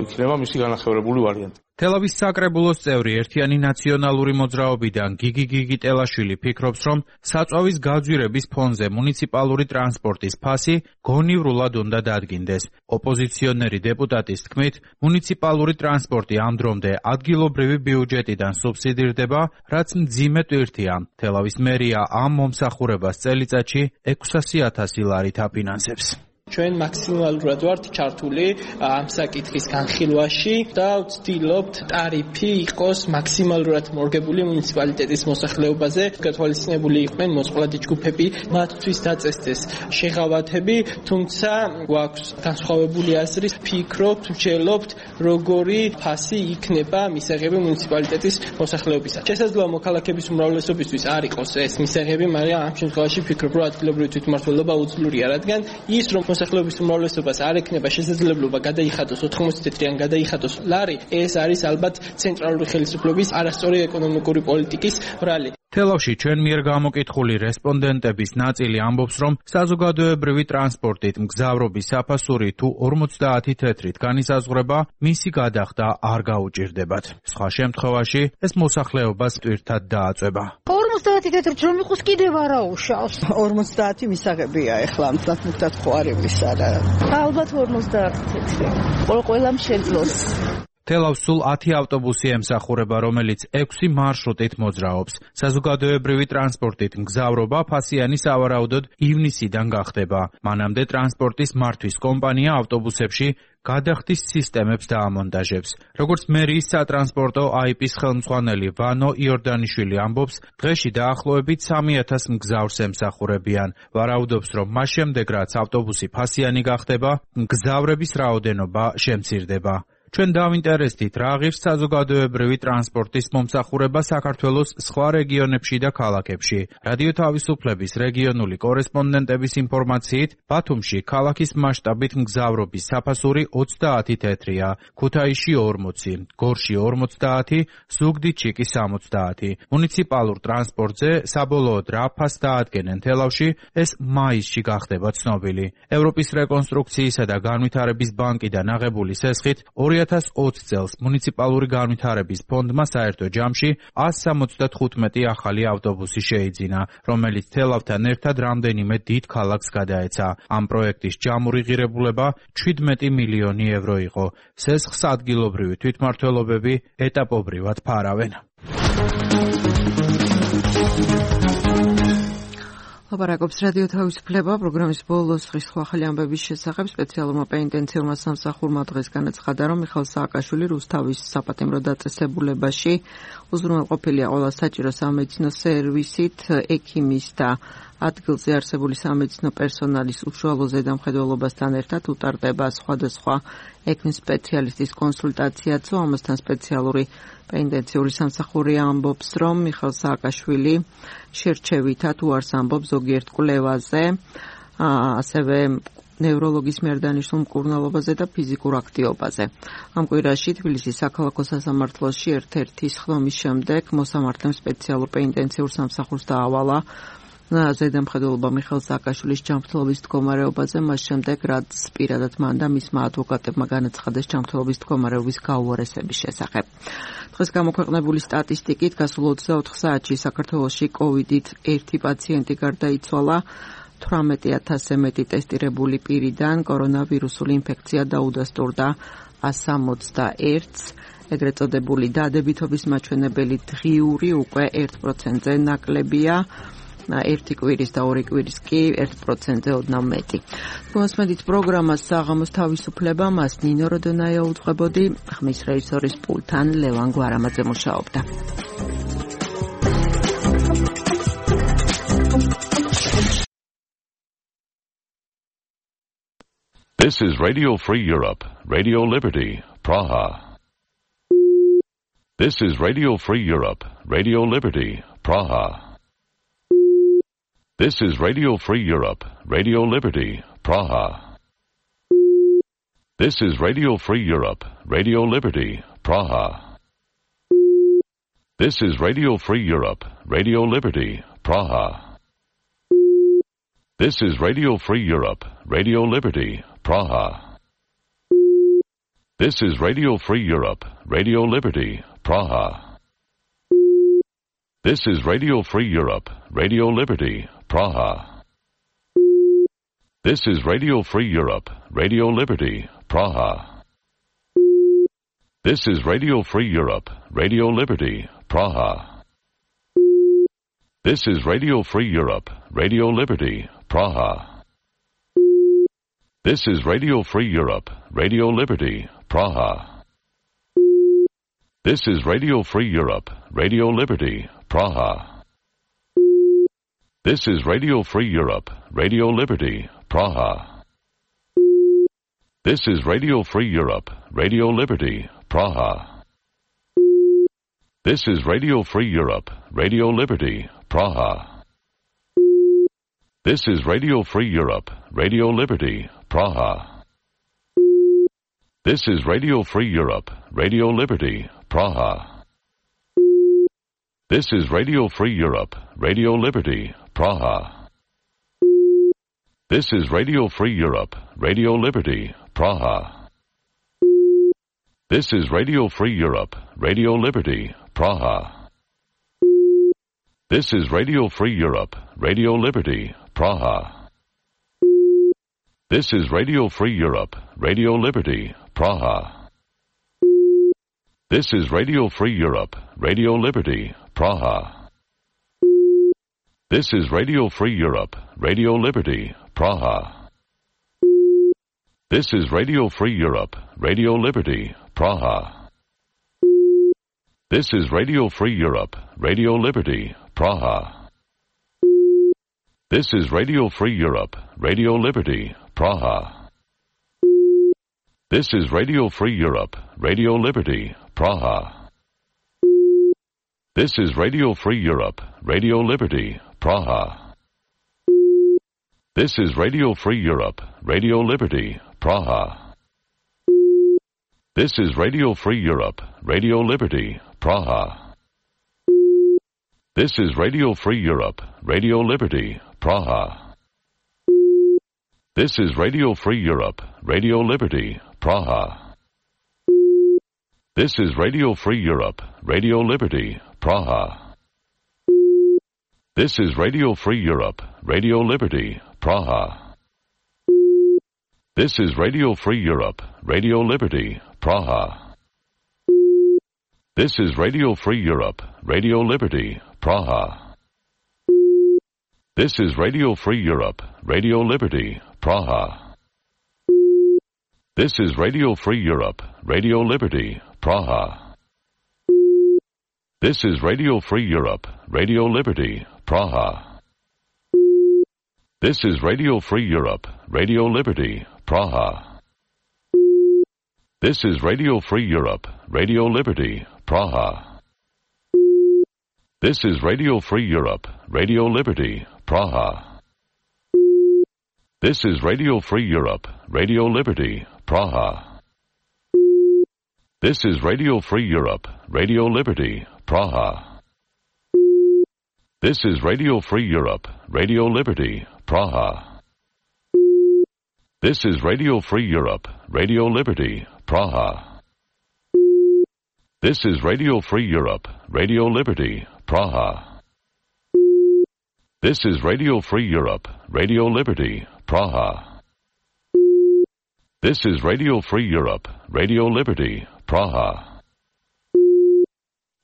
იქნება მისი განახევარებული ვარიანტი. თელავის საკრებულოს წევრი ერთიანი ნაციონალური მოძრაობიდან გიგი გიგიტელაშვილი ფიქრობს, რომ საწვავის გაძვირების ფონზე მუნიციპალური ტრანსპორტის ფასი გონივრულად უნდა დადგინდეს. ოპოზიციონერი დეპუტატის თქმით, მუნიციპალური ტრანსპორტი ამ დრომდე ადგილობრივი ბიუჯეტიდან სუბსიდირდება, რაც მძიმე ტვირთია. თელავის მერია ამ მომსახურებას წელიწადში 600,000 ლარით აფინანსებს. ჩვენ მაქსიმალურად ვართ ჩართული ამ საკითხის განხილვაში და ვცდილობთ ტარიფი იყოს მაქსიმალურად მორგებული მუნიციპალიტეტის მოსახლეობაზე. გათვალისწინებული იყვნენ მოწყვლადი ჯგუფები, მათთვის დაწესდეს შეღავათები, თუმცა გვაქვს განსხვავებული აზრი, ვფიქრობთ, ვჯელობთ, როგორი ფასი იქნება მისაღები მუნიციპალიტეტის მოსახლეობისა. შესაძლოა მოქალაქეების უმრავლესობისთვის არ იყოს ეს მისაღები, მაგრამ ამ შემთხვევაში ვფიქრობ, რომ ადგილობრივი თვითმმართველობა უძლურია, რადგან ის რომ მოსახლეობის უმრავლესობას არ ექნება შესაძლებლობა გადაიხადოს 80 თეთრიან გადაიხადოს ლარი, ეს არის ალბათ ცენტრალური ხელისუფლების არასწორი ეკონომიკური პოლიტიკის ბრალი. თელავში ჩვენ მიერ გამოკითხული რესპონდენტების ნაწილი ამბობს, რომ საზოგადოებრივი ტრანსპორტით მგზავრობის საფასური თუ 50 თეთრით განისაზღვრება, მისი გადახდა არ გაუჭირდებათ. სხვა შემთხვევაში ეს მოსახლეობას ტვირთად დააწვება. 50 თეთრით რომ იყოს კიდევ არა უშავს. 50 მისაღებია ეხლა მწათმუქად ხო არ იმის არა. ალბათ 50 თეთრი. ყველამ შეძლოს. თელავს სულ 10 ავტობუსი ემსახურება, რომელიც 6 მარშრუტით მოძრაობს. საზოგადოებრივი ტრანსპორტით მგზავრობა ფასიანი სავარაუდოდ ივნისიდან გახდება. მანამდე ტრანსპორტის მართვის კომპანია ავტობუსებში გადახდის სისტემებს დაამონტაჟებს. როგორც მერიის სატრანსპორტო აიპის ხელმძღვანელი ვანო იორდანიშვილი ამბობს, დღეში დაახლოებით 3000 მგზავრს ემსახურებიან. ვარაუდობს, რომ მას შემდეგ რაც ავტობუსი ფასიანი გახდება, მგზავრების რაოდენობა შემცირდება. ჩვენ დავინტერესდით, რა ღირს საზოგადოებრივი ტრანსპორტის მომსახურება საქართველოს სხვა რეგიონებში და ქალაქებში. რადიო თავისუფლების რეგიონული კორესპონდენტების ინფორმაციით, ბათუმში ქალაქის მასშტაბით მგზავრობის საფასური 30 თეთრია, ქუთაისში 40, გორში 50, ზუგდიდში კი 60. მუნიციპალურ ტრანსპორტზე საბოლოოდ რა ფასს დაადგენენ თელავში, ეს მაისში გახდება ცნობილი. ევროპის რეკონსტრუქციისა და განვითარების ბანკიდან აღებული სესხით 2020 წელს მუნიციპალური განვითარების ფონდმა საერთო ჯამში 175 ახალი ავტობუსი შეიძინა, რომელიც თელავთან ერთად რამდენიმე დიდ ქალაქს გადაეცა. ამ პროექტის ჯამური ღირებულება 17 მილიონი ევრო იყო. სესხს ადგილობრივი თვითმმართველობები ეტაპობრივად ფარავენ. ლაპარაკობს რადიო თავისუფლება პროგრამის ბოლოს დღის ახალი ამბების შესახებ. სპეციალურმა პენიტენციურმა სამსახურმა დღეს განაცხადა, რომ მიხეილ სააკაშვილი რუსთავის საპატიმრო დაწესებულებაში უზრუნველყოფილია ყველა საჭირო სამედიცინო სერვისით, ექიმის და ადგილზე არსებული სამედიცინო პერსონალის უშუალო ზედამხედველობასთან ერთად უტარდება სხვადასხვა ექიმ სპეციალისტის კონსულტაციაც. ამასთან სპეციალური პენიტენციური სამსახური ამბობს, რომ მიხეილ სააკაშვილი შერჩევითად უარს ამბობს ზოგიერთ კვლევაზე, ასევე ნევროლოგის მიერ დანიშნულ მკურნალობაზე და ფიზიკურ აქტივობაზე. ამ კვირაში თბილისის საქალაქო სასამართლოში ერთ-ერთი სხდომის შემდეგ მოსამართლემ სპეციალურ პენიტენციურ სამსახურს დაავალა ზედამხედველობა მიხეილ სააკაშვილის ჯანმრთელობის მდგომარეობაზე, მას შემდეგ რაც პირადად მან და მისმა ადვოკატებმა განაცხადეს ჯანმრთელობის მდგომარეობის გაუარესების შესახებ. დღეს გამოქვეყნებული სტატისტიკით გასულ 24 საათში საქართველოში კოვიდით 1 პაციენტი გარდაიცვალა. 18,000-ზე მეტი ტესტირებული პირიდან კორონავირუსული ინფექცია დაუდასტურდა 161-ს. ეგრეთ წოდებული დადებითობის მაჩვენებელი დღიური უკვე 1%-ზე ნაკლებია. 1 კვირის და 2 კვირის კი 1%-ზე ოდნავ მეტი. მოსმენით პროგრამას საღამოს თავისუფლება, მას ნინო როდონაია უძღვებოდი, ხმის რეჟისორის პულტთან ლევან გვარამაძე მუშაობდა. This is Radio Free Europe, Radio Liberty, Praha. This is Radio Free Europe, Radio Liberty, Praha. This is Radio Free Europe, Radio Liberty, Praha. This is Radio Free Europe, Radio Liberty, Praha. This is Radio Free Europe, Radio Liberty, Praha. This is Radio Free Europe, Radio Liberty, Praha. This is Radio Free Europe, Radio Liberty, Praha. This is Radio Free Europe, Radio Liberty, Praha. This is Radio Free Europe, Radio Liberty, Praha. This is Radio Free Europe, Radio Liberty, Praha. This is Radio Free Europe, Radio Liberty, Praha. This is Radio Free Europe, Radio Liberty, Praha. This is Radio Free Europe, Radio Liberty, Praha. This is Radio Free Europe, Radio Liberty, Praha. This is Radio Free Europe, Radio Liberty, Praha. This is Radio Free Europe, Radio Liberty, Praha. This is Radio Free Europe, Radio Liberty, Praha. This is Radio Free Europe, Radio Liberty, Praha. This is Radio Free Europe, Radio Liberty, Praha. This is Radio Free Europe, Radio Liberty, Praha. This is Radio Free Europe, Radio Liberty, Praha. This is Radio Free Europe, Radio Liberty, Praha. This is Radio Free Europe, Radio Liberty, Praha. This is Radio Free Europe, Radio Liberty, Praha. This is Radio Free Europe, Radio Liberty, Praha. This is Radio Free Europe, Radio Liberty, Praha. This is Radio Free Europe, Radio Liberty, Praha. This is Radio Free Europe, Radio Liberty, Praha. This is Radio Free Europe, Radio Liberty, Praha. This is Radio Free Europe, Radio Liberty, Praha. This is Radio Free Europe, Radio Liberty, Praha. This is Radio Free Europe, Radio Liberty, Praha. This is Radio Free Europe, Radio Liberty, Praha. This is Radio Free Europe, Radio Liberty, Praha. This is Radio Free Europe, Radio Liberty, Praha. This is Radio Free Europe, Radio Liberty, Praha. This is Radio Free Europe, Radio Liberty, Praha. This is Radio Free Europe, Radio Liberty, Praha. This is Radio Free Europe, Radio Liberty, Praha. This is Radio Free Europe, Radio Liberty, Praha. This is Radio Free Europe, Radio Liberty, Praha. This is Radio Free Europe, Radio Liberty, Praha. This is Radio Free Europe, Radio Liberty, Praha. This is Radio Free Europe, Radio Liberty, Praha. This is Radio Free Europe, Radio Liberty, Praha. This is Radio Free Europe, Radio Liberty, Praha. This is Radio Free Europe, Radio Liberty, Praha. This is Radio Free Europe, Radio Liberty, Praha. This is Radio Free Europe, Radio Liberty, Praha. This is Radio Free Europe, Radio Liberty, Praha. This is Radio Free Europe, Radio Liberty, Praha.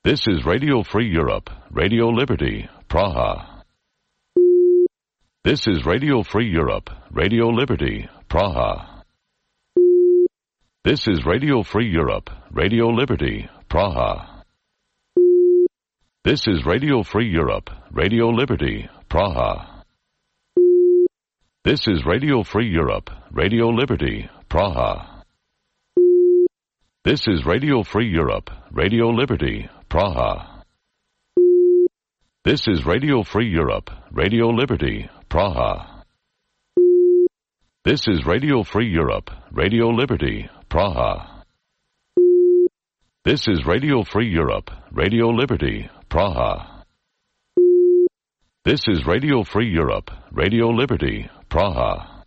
This is Radio Free Europe, Radio Liberty, Praha. This is Radio Free Europe, Radio Liberty, Praha. This is Radio Free Europe, Radio Liberty, Praha. This is Radio Free Europe, Radio Liberty, Praha. This is Radio Free Europe, Radio Liberty, Praha. This is Radio Free Europe, Radio Liberty, Praha. This is Radio Free Europe, Radio Liberty, Praha. This is Radio Free Europe, Radio Liberty, Praha. This is Radio Free Europe, Radio Liberty, Praha. This is Radio Free Europe, Radio Liberty, Praha.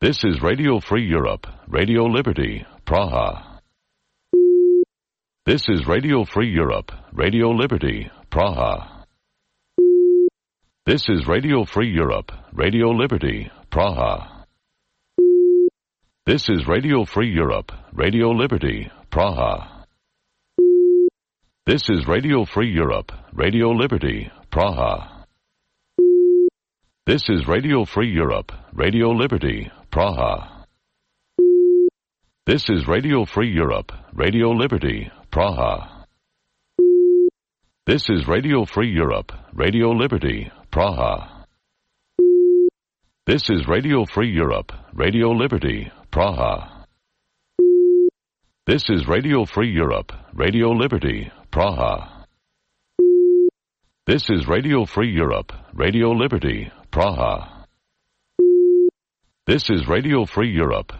This is Radio Free Europe, Radio Liberty, Praha. This is Radio Free Europe, Radio Liberty, Praha. This is Radio Free Europe, Radio Liberty, Praha. This is Radio Free Europe, Radio Liberty, Praha. This is Radio Free Europe, Radio Liberty, Praha. This is Radio Free Europe, Radio Liberty, Praha. This is Radio Free Europe, Radio Liberty, Praha. This is Radio Free Europe, Radio Liberty, Praha. This is Radio Free Europe, Radio Liberty, Praha. This is Radio Free Europe, Radio Liberty, Praha. This is Radio Free Europe, Radio Liberty, Praha. This is Radio Free Europe,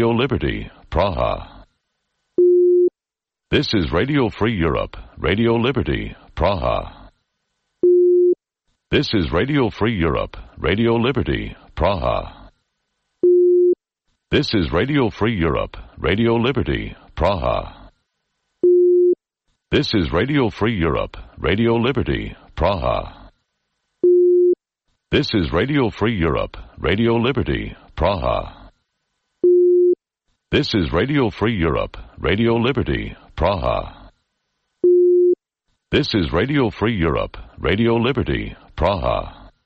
Radio Liberty, Praha. This is Radio Free Europe, Radio Liberty, Praha. This is Radio Free Europe, Radio Liberty, Praha. This is Radio Free Europe, Radio Liberty, Praha. This is Radio Free Europe, Radio Liberty, Praha. This is Radio Free Europe, Radio Liberty, Praha. This is Radio Free Europe, Radio Liberty, Praha. This is Radio Free Europe, Radio Liberty, Praha. This is Radio Free Europe, Radio Liberty, Praha.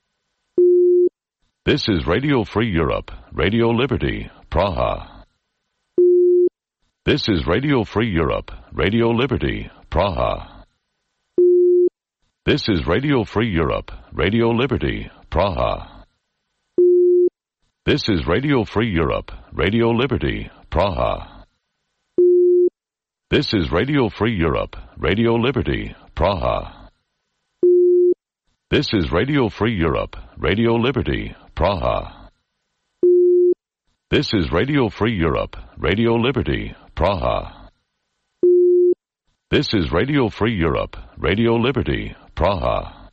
This is Radio Free Europe, Radio Liberty, Praha. This is Radio Free Europe, Radio Liberty, Praha. This is Radio Free Europe, Radio Liberty, Praha. This is Radio Free Europe, Radio Liberty, Praha. This is Radio Free Europe, Radio Liberty, Praha. This is Radio Free Europe, Radio Liberty, Praha. This is Radio Free Europe, Radio Liberty, Praha.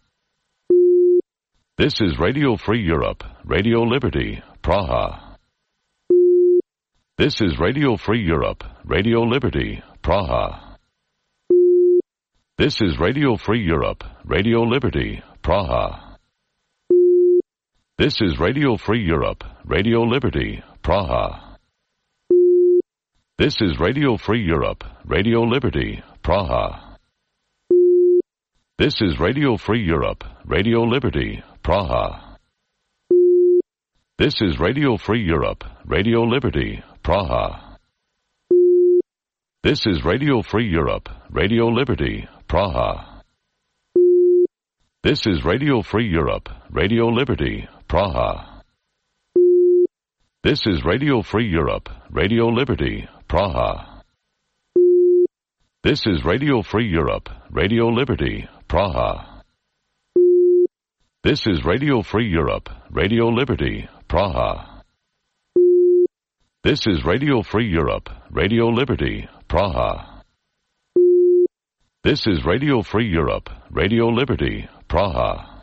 This is Radio Free Europe, Radio Liberty, Praha. This is Radio Free Europe, Radio Liberty, Praha. This is Radio Free Europe, Radio Liberty, Praha. This is Radio Free Europe, Radio Liberty, Praha. This is Radio Free Europe, Radio Liberty, Praha. This is Radio Free Europe, Radio Liberty, Praha. This is Radio Free Europe, Radio Liberty, Praha. This is Radio Free Europe, Radio Liberty, Praha. This is Radio Free Europe, Radio Liberty, Praha. This is Radio Free Europe, Radio Liberty, Praha. This is Radio Free Europe, Radio Liberty, Praha. This is Radio Free Europe, Radio Liberty, Praha. This is Radio Free Europe, Radio Liberty, Praha. This is Radio Free Europe, Radio Liberty, Praha.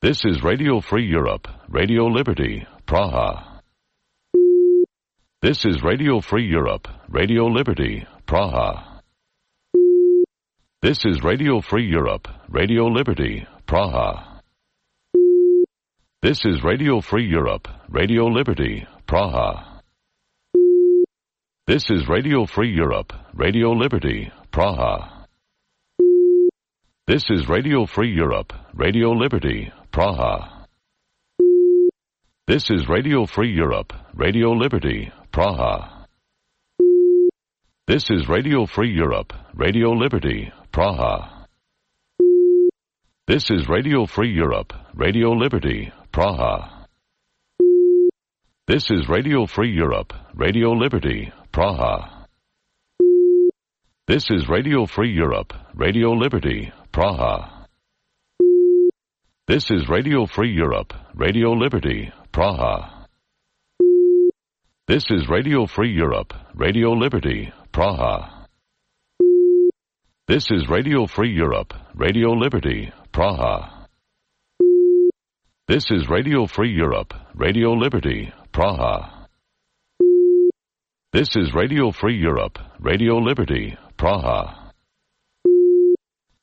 This is Radio Free Europe, Radio Liberty, Praha. This is Radio Free Europe, Radio Liberty, Praha. This is Radio Free Europe, Radio Liberty, Praha. This is Radio Free Europe, Radio Liberty, Praha. This is Radio Free Europe, Radio Liberty, Praha. This is Radio Free Europe, Radio Liberty, Praha. This is Radio Free Europe, Radio Liberty, Praha. This is Radio Free Europe, Radio Liberty, Praha. This is Radio Free Europe, Radio Liberty, Praha. This is Radio Free Europe, Radio Liberty, Praha. This is Radio Free Europe, Radio Liberty, Praha. This is Radio Free Europe, Radio Liberty, Praha. This is Radio Free Europe, Radio Liberty, Praha. This is Radio Free Europe, Radio Liberty, Praha. This is Radio Free Europe, Radio Liberty, Praha. This is Radio Free Europe, Radio Liberty, Praha.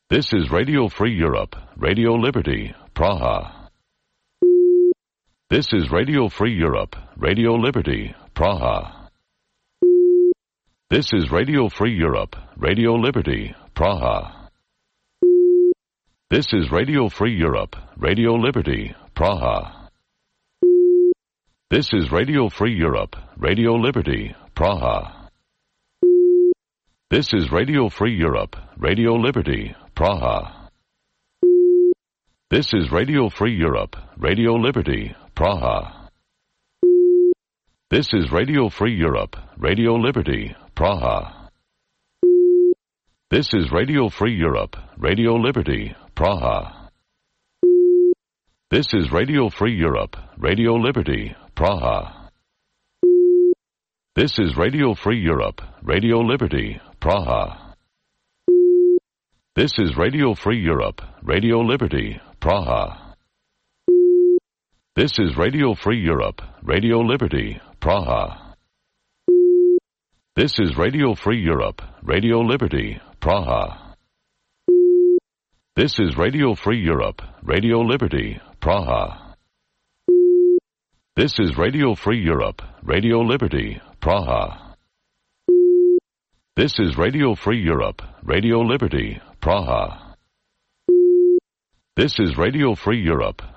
This is Radio Free Europe, Radio Liberty, Praha. This is Radio Free Europe, Radio Liberty, Praha. This is Radio Free Europe, Radio Liberty, Praha. This is Radio Free Europe, Radio Liberty, Praha. This is Radio Free Europe, Radio Liberty, Praha. This is Radio Free Europe, Radio Liberty, Praha. This is Radio Free Europe, Radio Liberty, Praha. This is Radio Free Europe, Radio Liberty, Praha. This is Radio Free Europe, Radio Liberty, Praha. This is Radio Free Europe, Radio Liberty, Praha. This is Radio Free Europe, Radio Liberty, Praha. This is Radio Free Europe, Radio Liberty, Praha. This is Radio Free Europe, Radio Liberty, Praha. This is Radio Free Europe, Radio Liberty, Praha. This is Radio Free Europe, Radio Liberty, Praha. This is Radio Free Europe, Radio Liberty, Praha. This is Radio Free Europe, Radio Liberty, Praha. This is Radio Free Europe,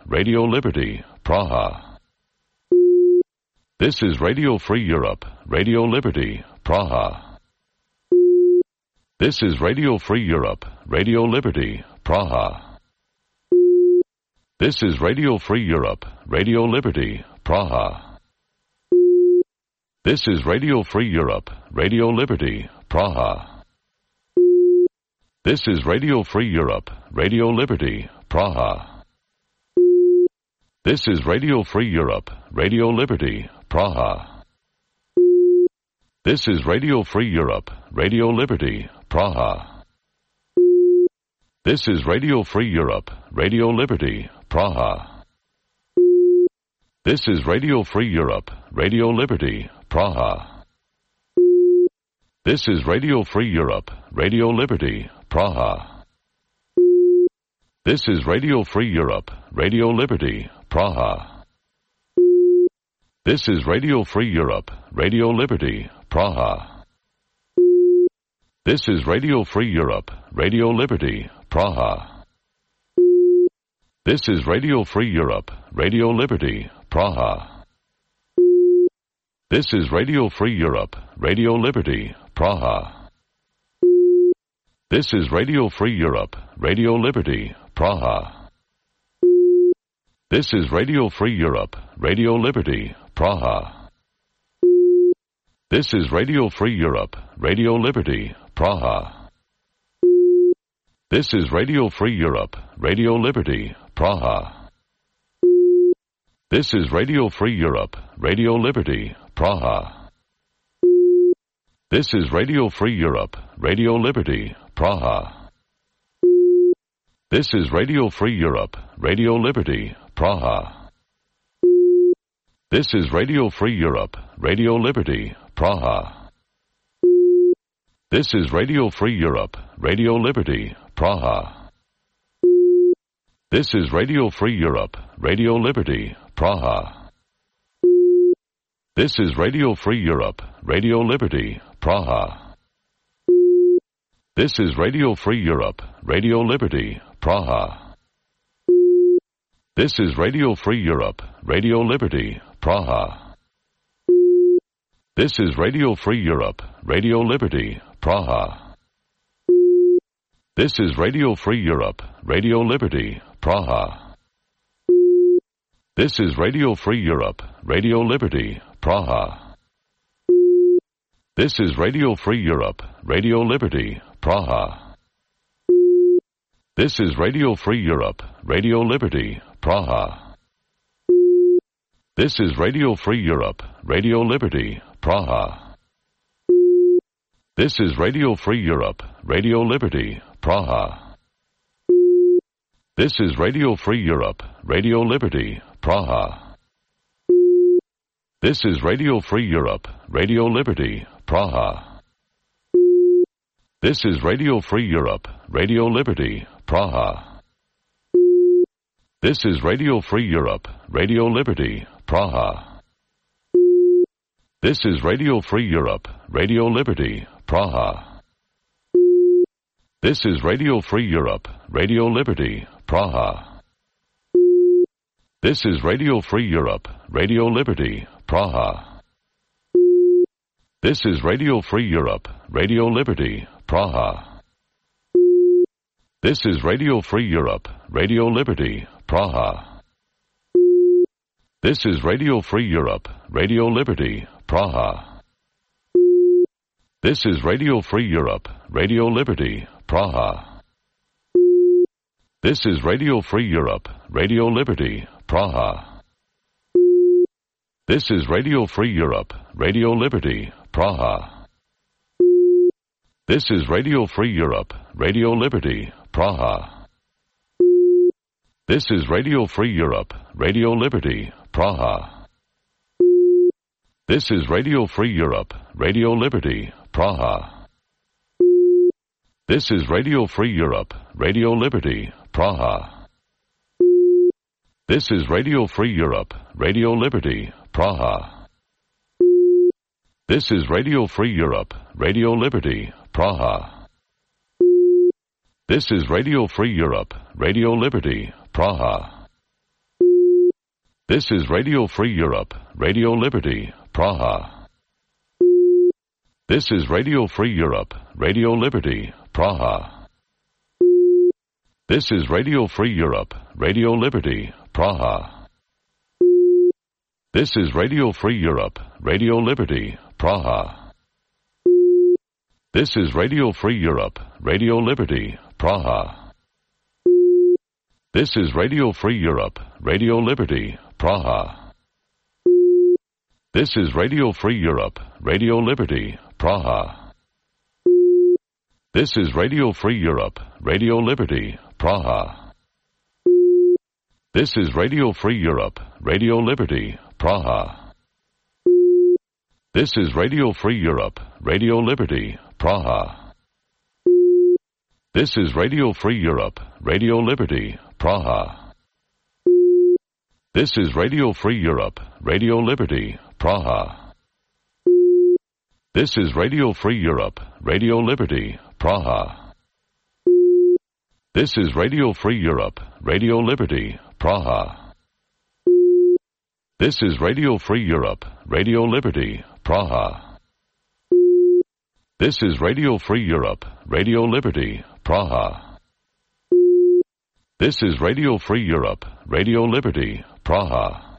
Radio Liberty, Praha. This is Radio Free Europe, Radio Liberty, Praha. This is Radio Free Europe, Radio Liberty, Praha. This is Radio Free Europe, Radio Liberty, Praha. This is Radio Free Europe, Radio Liberty, Praha. This is Radio Free Europe, Radio Liberty, Praha. This is Radio Free Europe, Radio Liberty, Praha. This is Radio Free Europe, Radio Liberty, Praha. This is Radio Free Europe, Radio Liberty, Praha. This is Radio Free Europe, Radio Liberty, Praha. This is Radio Free Europe, Radio Liberty, Praha. This is Radio Free Europe, Radio Liberty, Praha. This is Radio Free Europe, Radio Liberty, Praha. This is Radio Free Europe, Radio Liberty, Praha. This is Radio Free Europe, Radio Liberty, Praha. This is Radio Free Europe, Radio Liberty, Praha. This is Radio Free Europe, Radio Liberty, Praha. This is Radio Free Europe, Radio Liberty, Praha. This is Radio Free Europe, Radio Liberty, Praha. This is Radio Free Europe, Radio Liberty, Praha. This is Radio Free Europe, Radio Liberty, Praha. This is Radio Free Europe, Radio Liberty, Praha. This is Radio Free Europe, Radio Liberty, Praha. This is Radio Free Europe, Radio Liberty, Praha. This is Radio Free Europe, Radio Liberty, Praha. This is Radio Free Europe, Radio Liberty, Praha. This is Radio Free Europe, Radio Liberty, Praha. This is Radio Free Europe, Radio Liberty, Praha. This is Radio Free Europe, Radio Liberty, Praha. This is Radio Free Europe, Radio Liberty, Praha. This is Radio Free Europe, Radio Liberty, Praha. This is Radio Free Europe, Radio Liberty, Praha. This is Radio Free Europe, Radio Liberty, Praha. This is Radio Free Europe, Radio Liberty, Praha. This is Radio Free Europe, Radio Liberty, Praha. This is Radio Free Europe, Radio Liberty, Praha. This is Radio Free Europe, Radio Liberty, Praha. This is Radio Free Europe, Radio Liberty, Praha. This is Radio Free Europe, Radio Liberty, Praha. This is Radio Free Europe, Radio Liberty, Praha. This is Radio Free Europe, Radio Liberty, Praha. This is Radio Free Europe, Radio Liberty, Praha. This is Radio Free Europe, Radio Liberty, Praha. This is Radio Free Europe, Radio Liberty, Praha. This is Radio Free Europe, Radio Liberty, Praha. This is Radio Free Europe, Radio Liberty, Praha. This is Radio Free Europe, Radio Liberty, Praha. This is Radio Free Europe, Radio Liberty, Praha. This is Radio Free Europe, Radio Liberty, Praha. This is Radio Free Europe, Radio Liberty, Praha. This is Radio Free Europe, Radio Liberty, Praha. This is Radio Free Europe, Radio Liberty, Praha. This is Radio Free Europe, Radio Liberty, Praha. This is Radio Free Europe, Radio Liberty, Praha. This is Radio Free Europe, Radio Liberty, Praha. This is Radio Free Europe, Radio Liberty, Praha. This is Radio Free Europe, Radio Liberty, Praha. This is Radio Free Europe, Radio Liberty, Praha. This is Radio Free Europe, Radio Liberty, Praha. This is Radio Free Europe, Radio Liberty, Praha. This is Radio Free Europe, Radio Liberty, Praha. This is Radio Free Europe, Radio Liberty, Praha. This is Radio Free Europe, Radio Liberty, Praha. This is Radio Free Europe, Radio Liberty, Praha. This is Radio Free Europe, Radio Liberty, Praha. This is Radio Free Europe, Radio Liberty, Praha. This is Radio Free Europe, Radio Liberty, Praha. This is Radio Free Europe, Radio Liberty, Praha. This is Radio Free Europe, Radio Liberty, Praha. This is Radio Free Europe, Radio Liberty, Praha. This is Radio Free Europe, Radio Liberty, Praha. This is Radio Free Europe, Radio Liberty, Praha. This is Radio Free Europe, Radio Liberty, Praha.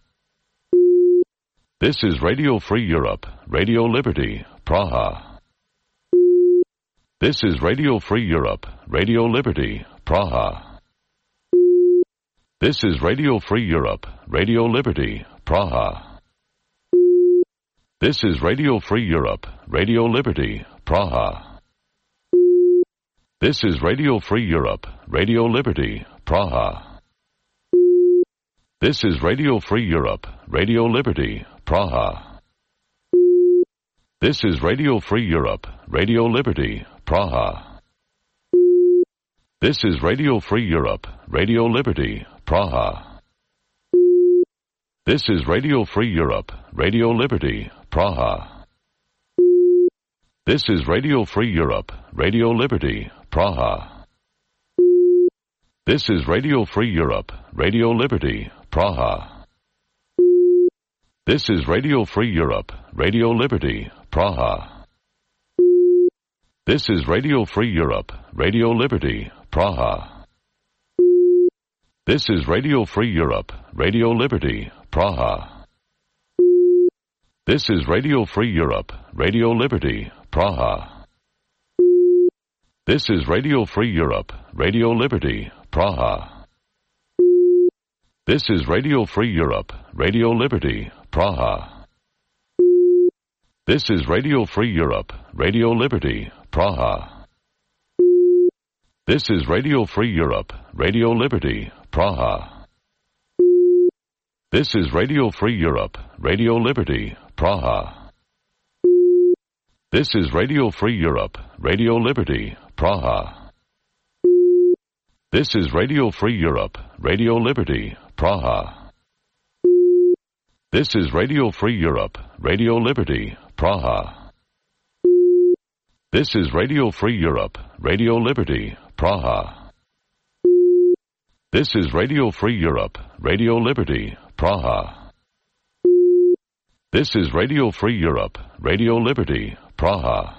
This is Radio Free Europe, Radio Liberty, Praha. This is Radio Free Europe, Radio Liberty, Praha. This is Radio Free Europe, Radio Liberty, Praha. This is Radio Free Europe, Radio Liberty, Praha. This is Radio Free Europe, Radio Liberty, Praha. This is Radio Free Europe, Radio Liberty, Praha. This is Radio Free Europe, Radio Liberty, Praha. This is Radio Free Europe, Radio Liberty, Praha. This is Radio Free Europe, Radio Liberty, Praha. This is Radio Free Europe, Radio Liberty, Praha. This is Radio Free Europe, Radio Liberty, Praha. This is Radio Free Europe, Radio Liberty, Praha. This is Radio Free Europe, Radio Liberty, Praha. This is Radio Free Europe, Radio Liberty, Praha. This is Radio Free Europe, Radio Liberty, Praha. This is Radio Free Europe, Radio Liberty, Praha. This is Radio Free Europe, Radio Liberty, Praha. This is Radio Free Europe, Radio Liberty, Praha. This is Radio Free Europe, Radio Liberty, Praha. This is Radio Free Europe, Radio Liberty, Praha. This is Radio Free Europe, Radio Liberty, Praha. This is Radio Free Europe, Radio Liberty, Praha. This is Radio Free Europe, Radio Liberty, Praha. This is Radio Free Europe, Radio Liberty, Praha. This is Radio Free Europe, Radio Liberty, Praha. This is Radio Free Europe, Radio Liberty, Praha.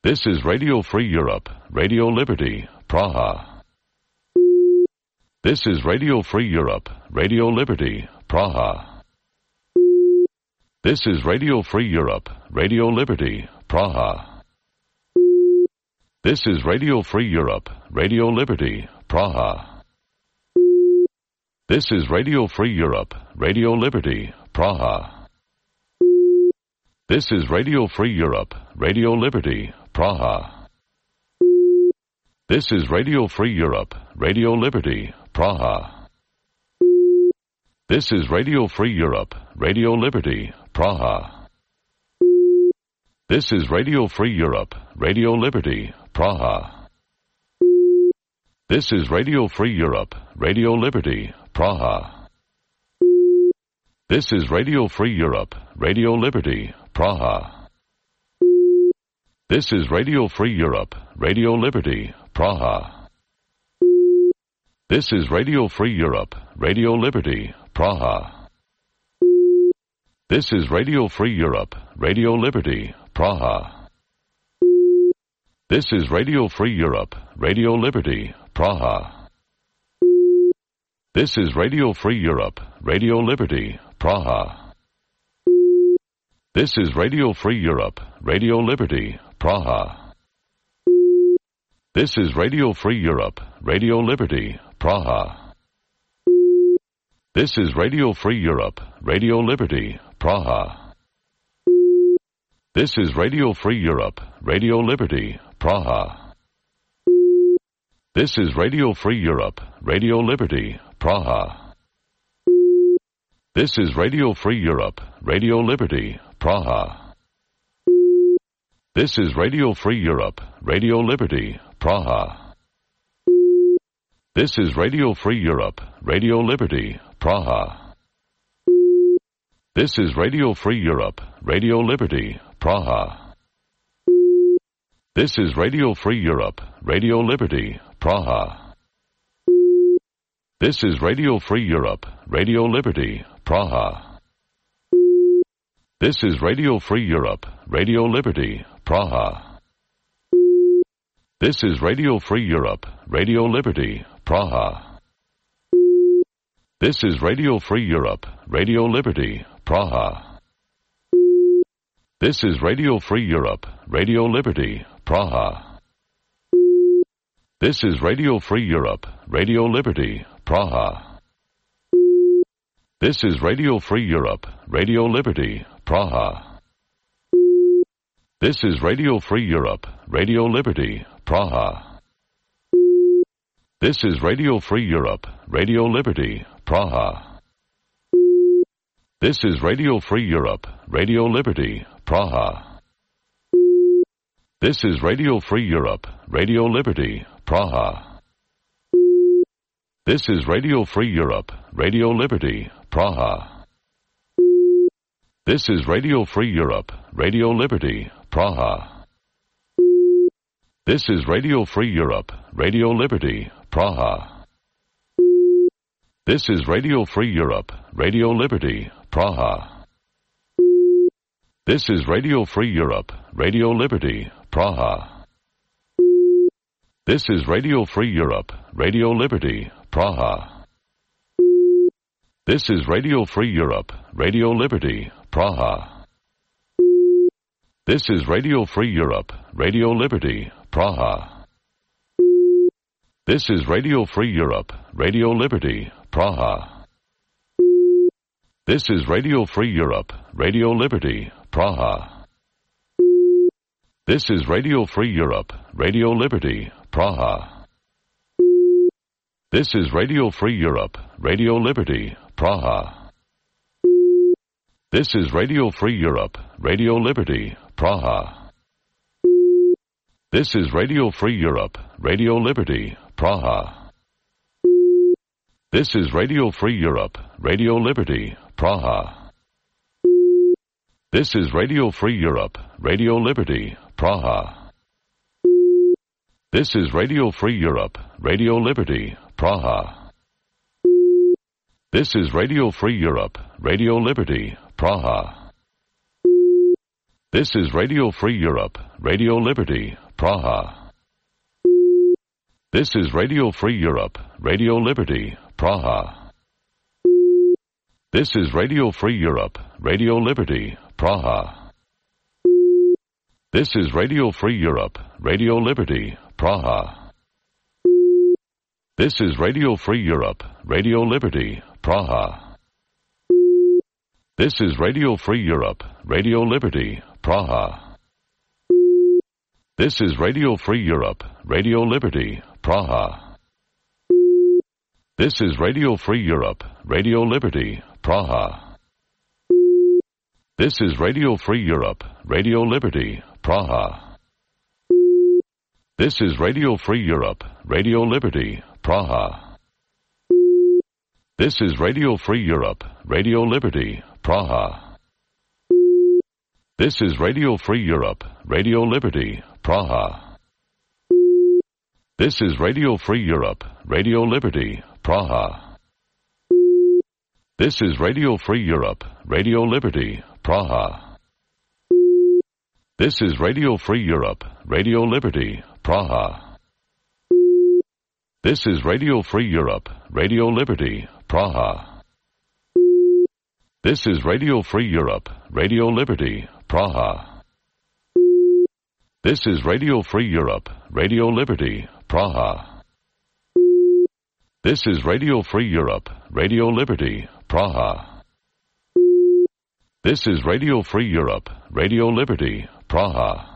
This is Radio Free Europe, Radio Liberty, Praha. This is Radio Free Europe, Radio Liberty, Praha. This is Radio Free Europe, Radio Liberty, Praha. This is Radio Free Europe, Radio Liberty, Praha. This is Radio Free Europe, Radio Liberty, Praha. This is Radio Free Europe, Radio Liberty, Praha. This is Radio Free Europe, Radio Liberty, Praha. This is Radio Free Europe, Radio Liberty, Praha. This is Radio Free Europe, Radio Liberty, Praha. This is Radio Free Europe, Radio Liberty, Praha. This is Radio Free Europe, Radio Liberty, Praha. This is Radio Free Europe, Radio Liberty, Praha. This is Radio Free Europe, Radio Liberty, Praha. This is Radio Free Europe, Radio Liberty, Praha. This is Radio Free Europe, Radio Liberty, Praha. This is Radio Free Europe, Radio Liberty, Praha. This is Radio Free Europe, Radio Liberty, Praha. This is Radio Free Europe, Radio Liberty, Praha. This is Radio Free Europe, Radio Liberty, Praha. This is Radio Free Europe, Radio Liberty, Praha. This is Radio Free Europe, Radio Liberty, Praha. This is Radio Free Europe, Radio Liberty, Praha. This is Radio Free Europe, Radio Liberty, Praha. This is Radio Free Europe, Radio Liberty, Praha. This is Radio Free Europe, Radio Liberty, Praha. This is Radio Free Europe, Radio Liberty, Praha. This is Radio Free Europe, Radio Liberty, Praha. This is Radio Free Europe, Radio Liberty, Praha. This is Radio Free Europe, Radio Liberty, Praha. This is Radio Free Europe, Radio Liberty, Praha. This is Radio Free Europe, Radio Liberty, Praha. This is Radio Free Europe, Radio Liberty, Praha. This is Radio Free Europe, Radio Liberty, Praha. This is Radio Free Europe, Radio Liberty, Praha. This is Radio Free Europe, Radio Liberty, Praha. This is Radio Free Europe, Radio Liberty, Praha. This is Radio Free Europe, Radio Liberty, Praha. This is Radio Free Europe, Radio Liberty, Praha. This is Radio Free Europe, Radio Liberty, Praha. This is Radio Free Europe, Radio Liberty, Praha. This is Radio Free Europe, Radio Liberty, Praha. This is Radio Free Europe, Radio Liberty, Praha. This is Radio Free Europe, Radio Liberty, Praha. This is Radio Free Europe, Radio Liberty, Praha. This is Radio Free Europe, Radio Liberty, Praha. This is Radio Free Europe, Radio Liberty, Praha. This is Radio Free Europe, Radio Liberty, Praha. This is Radio Free Europe, Radio Liberty, Praha. This is Radio Free Europe, Radio Liberty, Praha. This is Radio Free Europe, Radio Liberty, Praha. This is Radio Free Europe, Radio Liberty, Praha. This is Radio Free Europe, Radio Liberty, Praha. This is Radio Free Europe, Radio Liberty, Praha. This is Radio Free Europe, Radio Liberty, Praha. This is Radio Free Europe, Radio Liberty, Praha. This is Radio Free Europe, Radio Liberty, Praha. This is Radio Free Europe, Radio Liberty, Praha. This is Radio Free Europe, Radio Liberty, Praha. This is Radio Free Europe, Radio Liberty, Praha. This is Radio Free Europe, Radio Liberty, Praha. This is Radio Free Europe, Radio Liberty, Praha. This is Radio Free Europe, Radio Liberty, Praha. This is Radio Free Europe, Radio Liberty, Praha. This is Radio Free Europe, Radio Liberty, Praha. This is Radio Free Europe, Radio Liberty, Praha. This is Radio Free Europe, Radio Liberty, Praha. This is Radio Free Europe, Radio Liberty, Praha. This is Radio Free Europe, Radio Liberty, Praha. This is Radio Free Europe, Radio Liberty, Praha. This is Radio Free Europe, Radio Liberty, Praha. This is Radio Free Europe, Radio Liberty, Praha. This is Radio Free Europe, Radio Liberty, Praha. This is Radio Free Europe, Radio Liberty, Praha. This is Radio Free Europe, Radio Liberty, Praha. This is Radio Free Europe, Radio Liberty, Praha.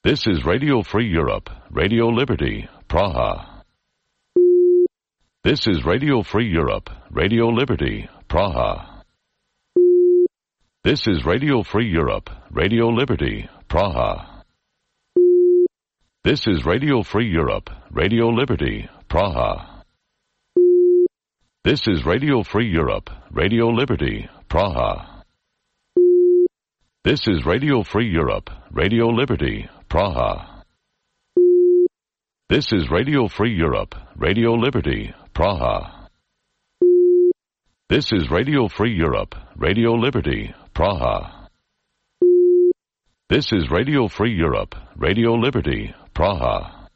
This is Radio Free Europe, Radio Liberty, Praha. This is Radio Free Europe, Radio Liberty, Praha. This is Radio Free Europe, Radio Liberty, Praha. This is Radio Free Europe, Radio Liberty, Praha. This is Radio Free Europe, Radio Liberty, Praha. This is Radio Free Europe, Radio Liberty, Praha. This is Radio Free Europe, Radio Liberty, Praha. This is Radio Free Europe, Radio Liberty, Praha. This is Radio Free Europe, Radio Liberty, Praha.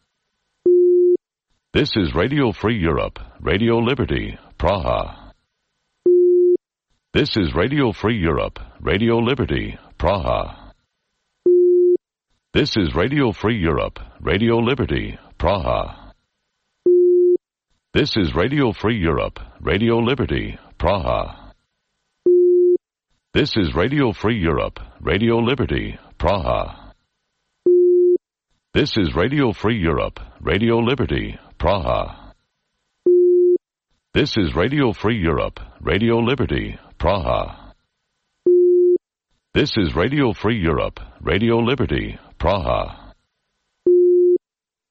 This is Radio Free Europe, Radio Liberty, Praha. This is Radio Free Europe, Radio Liberty, Praha. This is Radio Free Europe, Radio Liberty, Praha. This is Radio Free Europe, Radio Liberty, Praha. This is Radio Free Europe, Radio Liberty, Praha. This is Radio Free Europe, Radio Liberty, Praha. This is Radio Free Europe, Radio Liberty, Praha. This is Radio Free Europe, Radio Liberty, Praha.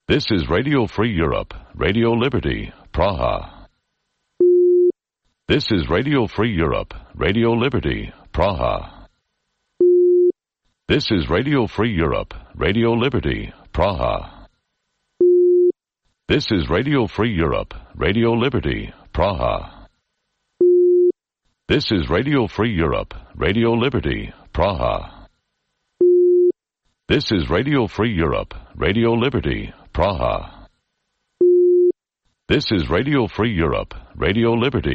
This is Radio Free Europe, Radio Liberty, Praha. This is Radio Free Europe, Radio Liberty, Praha. This is Radio Free Europe, Radio Liberty, Praha. This is Radio Free Europe, Radio Liberty, Praha. This is Radio Free Europe, Radio Liberty, Praha. This is Radio Free Europe, Radio Liberty, Praha. This is Radio Free Europe, Radio Liberty.